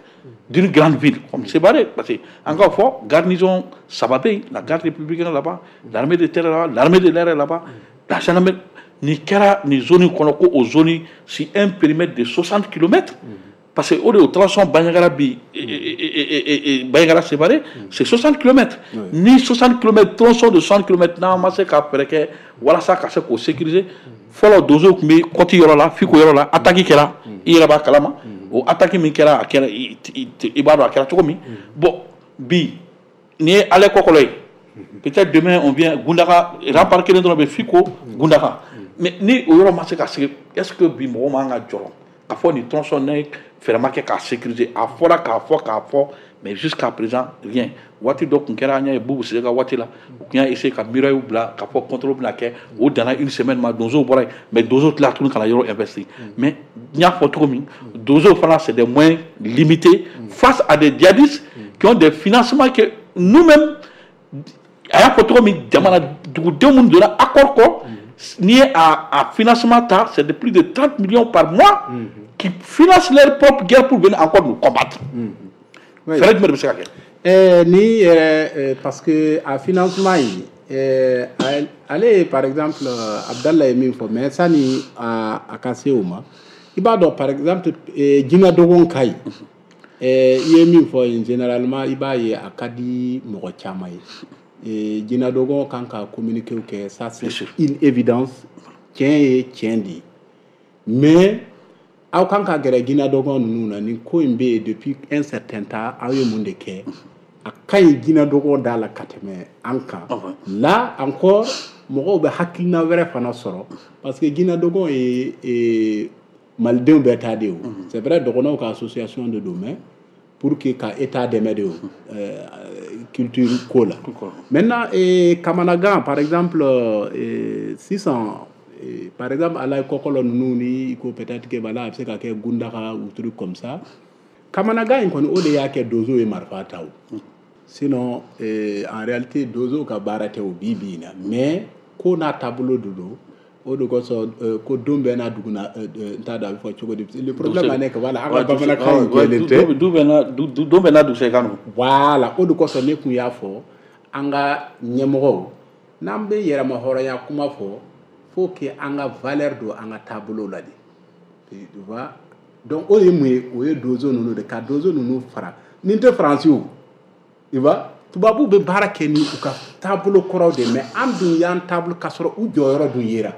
d'une grande ville comme Sévaré. Parce que an k'a fɔ, garnison saba bɛ yen, la garde républicaine là-bas, l'armée de terre là-bas, l'armée de l'air là-bas, la gendarmerie. Nin kɛra nin zone kɔnɔ, ko o zone sur un périmètre de 60 kilomètres, parce que o de o tronçon Bandiagara bi, Bandiagara Sévaré, c'est 60 km. Ni 60 km, tronçon de 60 km, n'an ma se ka fɛɛrɛ kɛ walasa ka se k'o sécuriser. Fɔlɔ, donsow tun bɛ kɔti yɔrɔ la, Fiko yɔrɔ la, attaque kɛra, i yɛrɛ b'a kalama. O attaque min kɛra, a kɛra, i b'a dɔn a kɛra cogo min. Bon, bi nin ye Alekɔkɔlɔ ye, peut-être demain on vient Gundaga, rempart kelen dɔrɔn bɛ Fiko Gundaga. Mais ni o yɔrɔ ma se ka sigi, est-ce que bi mɔgɔw man ka jɔrɔ k'a fɔ nin tronçon ne fɛɛrɛ ma kɛ k'a sécuriser? A fɔra k'a fɔ k'a fɔ, mais jusqu'à présent rien. Waati dɔ tun kɛra, an y'a ye Bubu Sise ka waati la, u tun y'a essayer ka muraille bila k'a fɔ contrôle bɛna kɛ, o danna une semaine ma, donsow bɔra yen. Mais donsow tilala tuguni ka na yɔrɔ investir. Mais n y'a fɔ cogo min, donsow fana, c'est des moyens limités face à des djihadistes qui ont des financements que nous-mêmes, a y'a fɔ cogo min, jamana dugudenw minnu donna accord kɔ, n'i ye a financement ta, c'est de plus de 30 millions par mois qui financent leur propre guerre pour venir encore nous combattre. Fɛɛrɛ jumɛn de bɛ se ka kɛ? Ni yɛrɛ, parce que a financement in, ale, par exemple, Abdallah ye min fɔ, mais sani a ka se o ma, i b'a dɔn, par exemple, Guinadogon ka ɲi, i ye min fɔ, généralement i b'a ye a ka di mɔgɔ caman ye. Guinadogon kan ka communiqué kɛ, ça c'est une évidence, tiɲɛ ye tiɲɛ de ye. Mais aw kan ka gɛrɛ Guinadogon ninnu na, nin ko in bɛ yen depuis un certain temps, aw ye mun de kɛ? A ka ɲi Guinadogon da la ka tɛmɛ an kan. Là encore, mɔgɔw bɛ hakilina wɛrɛ fana sɔrɔ, parce que Guinadogon ye malidenw bɛɛ ta de ye. O c'est vrai, dɔgɔnɔw ka association de don, mais pour que ka état dɛmɛ de o culture ko la. Maintenant, Kamanagan par exemple, sisan, par exemple, Alaye Kɔkɔlɔ ninnu ni ko peut-être que voilà, a bɛ se ka kɛ Gundaga ou truc comme ça. Kamanagan in kɔni, o de y'a kɛ donso ye marifa ta. O sinon, en réalité, donso ka baara tɛ o bi bi in na, mais ko n'a taabolo de don. O de kosɔn ko don bɛɛ n'a dugu na, n t'a dɔn a bɛ fɔ cogo di. Le problème en est que voilà, an ka bamanankan in jɛlen tɛ. Du bɛɛ n'a don bɛɛ n'a dugusɛkan don. Voilà, o de kosɔn ne tun y'a fɔ an ka ɲɛmɔgɔw, n'an bɛ yɛrɛma hɔrɔnya kuma fɔ, faut que an ka valeur don an ka taabolo la de, tu vois. Donc o ye mun ye? O ye donso ninnu de ka donso ninnu fara nin tɛ Faransi o, tu vois. Tubabuw bɛ baara kɛ ni u ka taabolo kɔrɔw de, mais an dun y'an taabolo k'a sɔrɔ u jɔyɔrɔ dun yera.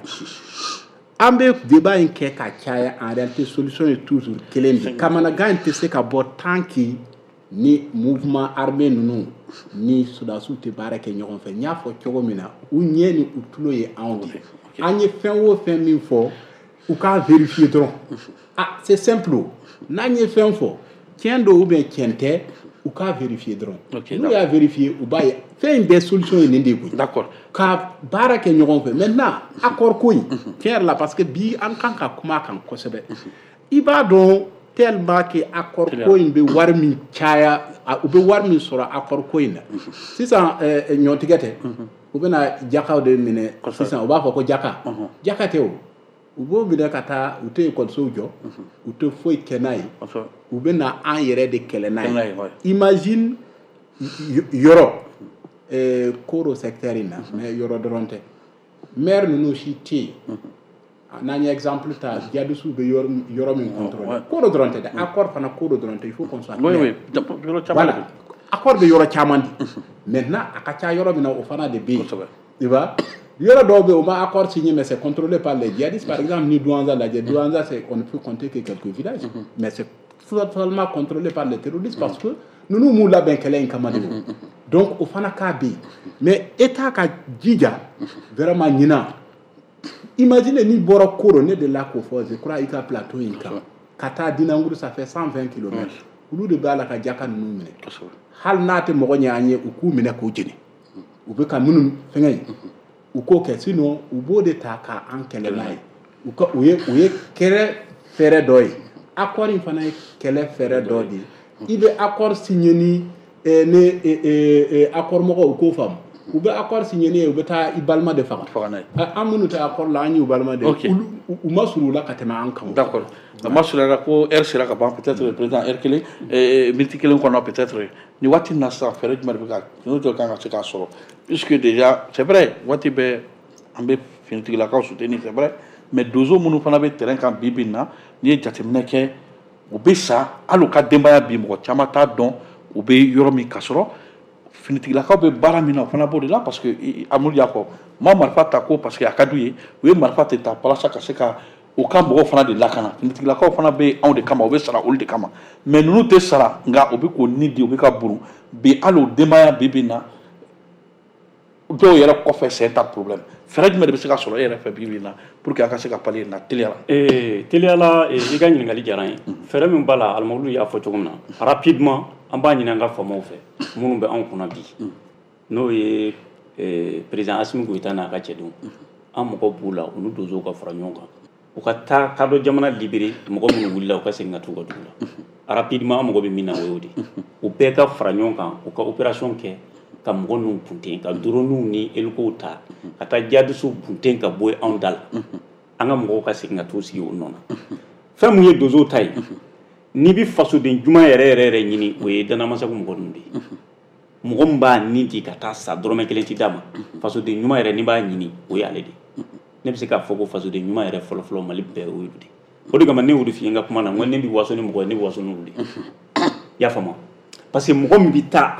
An bɛ débat in kɛ ka caya, en réalité solution ye toujours kelen de. Kamanagan in tɛ se ka bɔ tant que ni mouvement armé ninnu ni sɔrɔdasiw tɛ baara kɛ ɲɔgɔn fɛ. N y'a fɔ cogo min na, u ɲɛ ni u tulo ye anw de ye. An ye fɛn o fɛn min fɔ, u k'a vérifier dɔrɔn. Ah, c'est simple o. N'an ye fɛn fɔ, tiɲɛ don ou bien tiɲɛ tɛ, u k'a vérifier dɔrɔn. N'u y'a vérifier, u b'a ye fɛn in bɛɛ solution ye nin de ye koyi. Ka baara kɛ ɲɔgɔn fɛ. Maintenant, accord ko in, tiɲɛ yɛrɛ la, parce que bi an kan ka kuma a kan kosɛbɛ. I b'a dɔn, tellement que accord ko in bɛ wari min caya, u bɛ wari min sɔrɔ accord ko in na sisan, ɲɔtigɛ tɛ. U bɛna jakaw de minɛ sisan, u b'a fɔ ko jaka. Jaka tɛ o. U b'o minɛ ka taa, u tɛ ekɔlisow jɔ, u tɛ foyi kɛ n'a ye. U bɛ na an yɛrɛ de kɛlɛ n'a ye. Imagine yɔrɔ Koro secteur in na, mais yɔrɔ dɔrɔn tɛ. Maire ninnu si tɛ yen. N'an ye exemple ta, djihadistes bɛ yɔrɔ min contrôler. Koro dɔrɔn tɛ dɛ, accord fana Koro dɔrɔn tɛ, il faut qu'on soit clair. Oui, yɔrɔ caman. Voilà, accord bɛ yɔrɔ caman di. Maintenant a ka ca yɔrɔ min na, o fana de bɛ yen. Tu vois, yɔrɔ dɔw bɛ yen, u ma accord signé, mais c'est contrôlé par les djihadistes. Par exemple, ni Douentza lajɛ, Douentza, c'est on ne peut compter que quelques villages, mais c'est totalement contrôlé par les terroristes parce que ninnu m'u labɛn kɛlɛ in kama de o. Donc o fana cas bɛ yen. Mais État ka jija vraiment ɲinan. Imagine n'i bɔra Koro, ne delila k'o fɔ, je crois, i ka plateau in kan, ka taa Dinanguru, ça fait 120 kilomètres. Olu de b'a la ka jaka ninnu minɛ. Hali n'a tɛ mɔgɔ ɲɛ an ye, u k'u minɛ k'u jeni. U bɛ ka minnu fɛngɛ ye, u k'o kɛ, sinon u b'o de ta k'an kɛlɛ n'a ye. U ka u ye u ye kɛlɛ fɛɛrɛ dɔ ye. Accord in fana ye kɛlɛ fɛɛrɛ dɔ de ye. I bɛ accord signé ni ne accord mɔgɔw, u k'o faamu. U bɛ accord signé ni ye, u bɛ taa i balima de faga. An minnu tɛ accord la, an y'u balima de ye. U ma surun u la ka tɛmɛ an kan. D'accord. A ma surunya ko heure sera ka ban, peut-être président heure kelen, minute kelen kɔnɔ peut-être. Ni waati na sisan, fɛɛrɛ jumɛn de bɛ ka n'o jɔ kan ka se k'a sɔrɔ, puisque déjà c'est vrai, waati bɛɛ an bɛ finitigilakaw soutenir, c'est vrai, mais donso minnu fana bɛ terrain kan bi bi in na, n'i ye jateminɛ kɛ, u bɛ sa, hali u ka denbaya bi mɔgɔ caman t'a dɔn u bɛ yɔrɔ min, ka sɔrɔ finitigilakaw bɛ baara min na, o fana b'o de la, parce que Amadu y'a fɔ, ma marifa ta ko parce que a ka d'u ye, u ye marifa tɛ ta walasa ka se ka u ka mɔgɔw fana de lakana. Finitigilakaw fana bɛ anw de kama, u bɛ sara olu de kama, mais ninnu tɛ sara, nka u bɛ k'o ni di, u bɛ ka buru bi, hali o denbaya bi bi in na, dɔw yɛrɛ kɔfɛ, c'est un problème. Fɛɛrɛ jumɛn de bɛ se ka sɔrɔ e yɛrɛ fɛ bi bi in na pour que an ka se ka pallier na teliya la? Teliya la, i ka ɲininkali diyara n ye. Fɛɛrɛ min b'a la, Alimawulu y'a fɔ cogo min na, rapidement an b'a ɲini an ka faamaw fɛ minnu bɛ anw kunna bi, n'o ye président Assimi Goïta n'a ka cɛdenw, an mɔgɔ b'u la, u ni donsow ka fara ɲɔgɔn kan, u ka taa kadɔ jamana libéré, mɔgɔ minnu wulila, u ka segin ka t'u ka dugu la rapidement. An mago bɛ min na, o y'o de ye. U bɛɛ ka fara ɲɔgɔn kan, u ka opération kɛ ka mɔgɔ ninnu bunten, ka drone ni hélicow ta ka taa djihadistes bunten ka bɔ anw da la, an ka mɔgɔw ka segin ka t'u sigi o nɔ na. Fɛn mun ye donsow ta ye, n'i bɛ fasoden ɲuman yɛrɛ yɛrɛ yɛrɛ ɲini, o ye Danamasagu mɔgɔ ninnu de ye. Mɔgɔ min b'a nin di ka taa sa, dɔrɔmɛ kelen ti d'a ma, fasoden ɲuman yɛrɛ n'i b'a ɲini, o ye ale de ye. Ne bɛ se k'a fɔ ko fasoden ɲuman yɛrɛ fɔlɔfɔlɔ Mali bɛɛ, o y'olu de ye. O de kama ne y'o de f'i ye n ka kuma na, n ko ne bɛ waso ni mɔgɔ ye, ne bɛ waso n'olu de ye. I y'a faamu? Parce que mɔgɔ min bɛ taa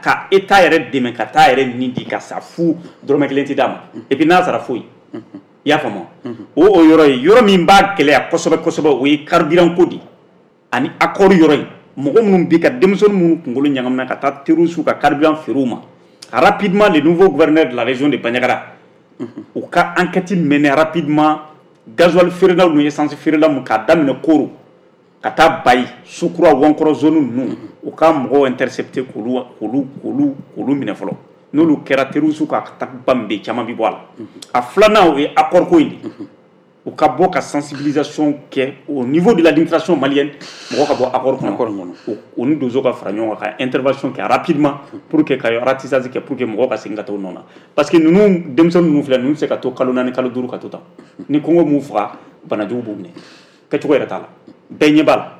ka État yɛrɛ dɛmɛ ka taa yɛrɛ nin di ka sa fu, dɔrɔmɛ kelen ti d'a ma, et puis n'a sara foyi. I y'a faamu? O yɔrɔ ye yɔrɔ min b'a gɛlɛya kosɛbɛ kosɛbɛ, o ye carburant ko de ye ani accord yɔrɔ in. Mɔgɔ minnu bɛ ka denmisɛnnin minnu kunkolo ɲagamina ka taa terroristes ka carburant feere u ma, rapidement le nouveau gouverneur de la région de Bandiagara, u ka enquête mener rapidement, gasoil feerelaw ni essence feerela mun, k'a daminɛ Koro ka taa Bayi, Sukura, Wankɔrɔ zone ninnu, u ka mɔgɔw intercepter k'olu minɛ fɔlɔ. N'olu kɛra, terroristes ka attaque min bɛ yen, caman bɛ bɔ a la. A filanan, o ye accord ko in de ye. U ka bɔ ka sensibilisation kɛ au niveau de l'administration malienne, mɔgɔ ka bɔ accord kɔnɔ, o ni donso ka fara ɲɔgɔn kan ka intervention kɛ rapidement pour que ka ratissage kɛ, pour que mɔgɔw ka segin ka taa u nɔ na, parce que ninnu denmisɛnnin ninnu filɛ, ninnu tɛ se ka to kalo 4, kalo 5 ka to tan. Ni kɔngɔ m'u faga, banajugu b'u minɛ, kɛcogo yɛrɛ t'a la, bɛɛ ɲɛ b'a la.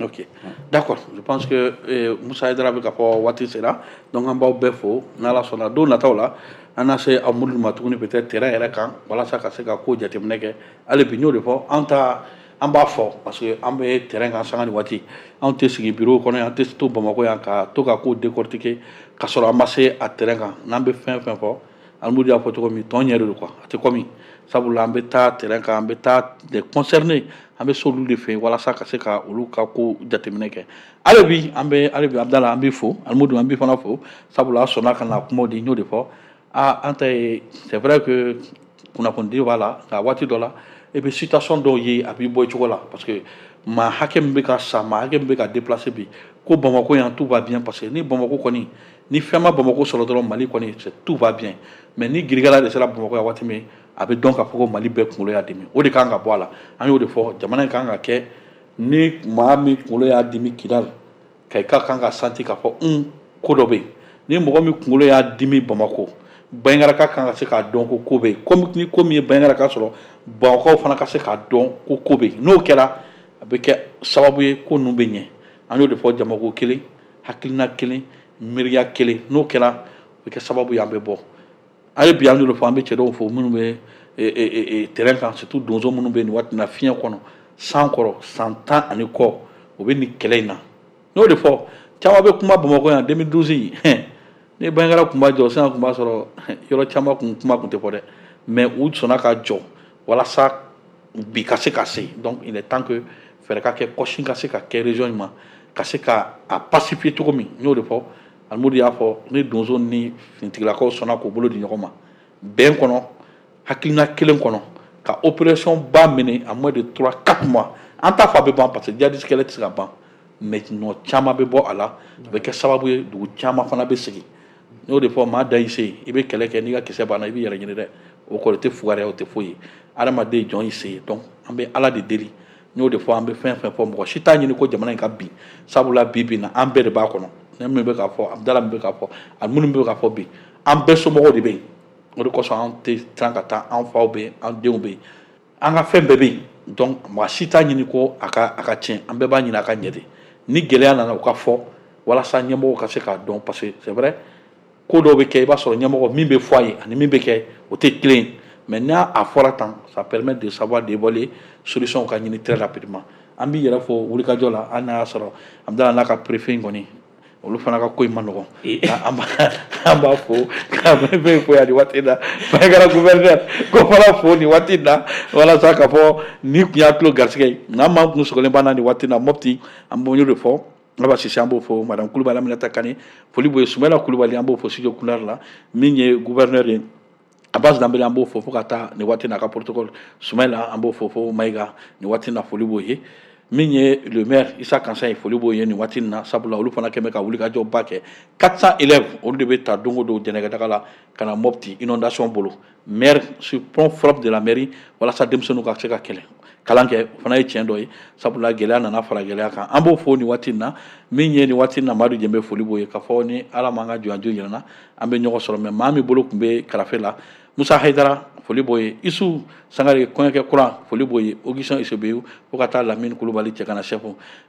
Ok, d'accord. Je pense que Moussa Haidara bɛ ka fɔ waati sera, donc an b'aw bɛɛ fo. N'Ala sɔnna, don nataw la, an na se Amudu ma tuguni, peut-être terrain yɛrɛ kan, walasa ka se ka ko jateminɛ kɛ. Hali bi n y'o de fɔ, an ta an b'a fɔ parce que an bɛ terrain kan sanga ni waati. Anw tɛ sigi bureau kɔnɔ yan, an tɛ to Bamakɔ yan ka to ka ko décortiquer ka sɔrɔ an ma se a terrain kan. N'an bɛ fɛn fɛn fɔ, Alimudu y'a fɔ cogo min, tɔn ɲɛ de don quoi, a tɛ komi sabula an bɛ taa terrain kan, an bɛ taa des concernés, an bɛ se olu de fɛ yen walasa ka se ka olu ka ko jateminɛ kɛ. Hali bi an bɛ, hali bi Abudala, an b'i fo. Alimudu, an b'i fana fo, sabula a sɔnna ka na kumaw di. N y'o de fɔ, aa, an ta ye, c'est vrai que kunnafonidi b'a la, nka waati dɔ la e bɛ situation dɔw ye, a b'i bɔ i cogo la, parce que maa hakɛ min bɛ ka sa, maa hakɛ min bɛ ka déplacer bi, ko Bamakɔ yan tout va bien, parce que ni Bamakɔ kɔni, ni fɛn ma Bamakɔ sɔrɔ dɔrɔn, Mali kɔni c'est tout va bien, mais ni girigara de sera Bamakɔ yan waati min, a bɛ dɔn k'a fɔ ko Mali bɛɛ kunkolo y'a dimi. O de kan ka bɔ a la. An y'o de fɔ, jamana in kan ka kɛ ni maa min kunkolo y'a dimi Kidali ka i ka kan ka santi k'a fɔ ko dɔ bɛ yen. Ni mɔgɔ min kunkolo y'a dimi Bamakɔ, Bandiagara kan ka se k'a dɔn ko ko bɛ yen. Komi ni ko min ye Bandiagara sɔrɔ, Bamakɔkaw fana ka se k'a dɔn ko ko bɛ yen. N'o kɛra, a bɛ kɛ sababu ye ko ninnu bɛ ɲɛ. An y'o de fɔ, jamako kelen, hakilina kelen, miiriya kelen, n'o kɛra, a bɛ kɛ sababu ye an bɛ bɔ. Hali bi an y'o de fɔ, an bɛ cɛ dɔw fo minnu bɛ terrain kan, surtout donso minnu bɛ nin waati na fiɲɛ kɔnɔ, san kɔrɔ, san 10 ani kɔ, o bɛ nin kɛlɛ in na. N'o de fɔ, caman bɛ kuma Bamakɔ yan 2012, ni Bandiagara tun b'a jɔ sisan, tun b'a sɔrɔ yɔrɔ caman kun kuma tun tɛ fɔ dɛ, mais u sɔnna ka jɔ walasa bi ka se ka se. Donc il est temps que fɛɛrɛ ka kɛ, kɔsin ka se ka kɛ région in ma, ka se ka a pacifier cogo min. N y'o de fɔ, Alimudu y'a fɔ, ni donso ni finitigilakaw sɔnna k'u bolo di ɲɔgɔn ma bɛn kɔnɔ, hakilina kelen kɔnɔ, ka opération ba mener en moins de 3 4 mois, an t'a fɔ a bɛ ban, parce que djihadiste kɛlɛ tɛ se ka ban, mais nɔ caman bɛ bɔ a la, a bɛ kɛ sababu ye dugu caman fana bɛ segin. N y'o de fɔ, maa da y'i se, i bɛ kɛlɛ kɛ, n'i ka kisɛ banna, i b'i yɛrɛ ɲini dɛ. O kɔrɔ tɛ fugariya, o tɛ foyi ye. Adamaden jɔn y'i se ye. Donc an bɛ Ala de deli. N y'o de fɔ, an bɛ fɛn fɛn fɔ, mɔgɔ si t'a ɲini ko jamana in ka bin, sabula bi bi in na an bɛɛ de b'a kɔnɔ. Ne min bɛ k'a fɔ, Abudala min bɛ k'a fɔ, ani minnu bɛ k'a fɔ bi, an bɛɛ somɔgɔw de bɛ yen. O de kosɔn an tɛ siran ka taa, an faw bɛ yen, an denw bɛ yen, an ka fɛn bɛɛ bɛ yen. Donc mɔgɔ si t'a ɲini ko a ka tiɲɛ, an bɛɛ b'a ɲini a ka ɲɛ de. Ni gɛlɛya nana, u ka fɔ walasa ɲɛmɔgɔw ka se k'a dɔn, parce que c'est vrai, ko dɔw bɛ kɛ, i b'a sɔrɔ ɲɛmɔgɔ min bɛ fɔ a ye ani min bɛ kɛ, o tɛ kelen ye. Mais n'a a fɔra tan, ça permet de savoir d'évaluer, solution ka ɲini très rapidement. An b'i yɛrɛ fo wulikajɔ la. Hali n'a y'a sɔrɔ Abudala n'a ka préfet in kɔni, olu fana ka ko in ma nɔgɔn, an b'a fo ka préfet fo yan nin waati in na, Bandiagara gouverneur ko fana fo nin waati in na, walasa k'a fɔ ni tun y'a tulo garisɛgɛ ye. Nka an maa kun sɔgɔlen b'an na nin waati in na Mopti, an b'o de fɔ. Aba Sise, an b'o fo. Madame Kulubali Aminata Kane, foli b'o ye. Sumayila Kulubali, an b'o fo studio Kunari la. Min ye gouverneur ye, Abbas Danbele, an b'o fo fo ka taa nin waati na a ka protocole. Sumayila, an b'o fo fo Mayiga nin waati na, foli b'o ye. Min ye le maire Issa Kansan ye, foli b'o ye nin waati na, sabula olu fana kɛn bɛ ka wulikajɔ ba kɛ. 400 élèves, olu de bɛ ta don o don jɛnɛkɛdaga la ka na Mopti inondation bolo, maire sur fonds propre de la mairie, walasa denmisɛnninw ka se ka kɛlɛ kalan kɛ. O fana ye tiɲɛ dɔ ye, sabula gɛlɛya nana fara gɛlɛya kan. An b'o fo nin waati in na. Min ye nin waati in na Madu Jɛnbe, foli b'o ye, k'a fɔ ni Ala m'an ka jɔnjo yira n na, an bɛ ɲɔgɔn sɔrɔ. Mais maa min bolo tun bɛ karafe la, Musa Hayidara, foli b'o ye. Isu Sangare, kɔɲɔkɛ kura, foli b'o ye. Augustin Isobeyu, fo ka taa Lamini Kulubali cɛ kana chef.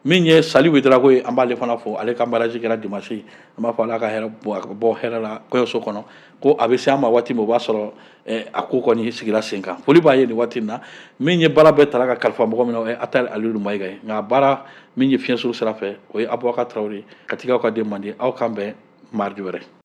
Min ye Sali Wedrago ye, an b'ale fana fo. Ale ka mariage kɛra dimanche, an b'a fɔ Ala ka hɛrɛ bɔ hɛrɛ la kɔɲɔso kɔnɔ, ko a bɛ se an ma waati min, o b'a sɔrɔ a ko kɔni sigira sen kan. Foli b'a ye nin waati in na. Min ye baara bɛɛ tara ka kalifa mɔgɔ min na, o ye Atali Aliyu Mayiga ye. Nka baara min ye fiɲɛ suru sira fɛ, o ye Abubakar Tarawele. Katikaw ka den mandi, aw kan bɛn mardi wɛrɛ.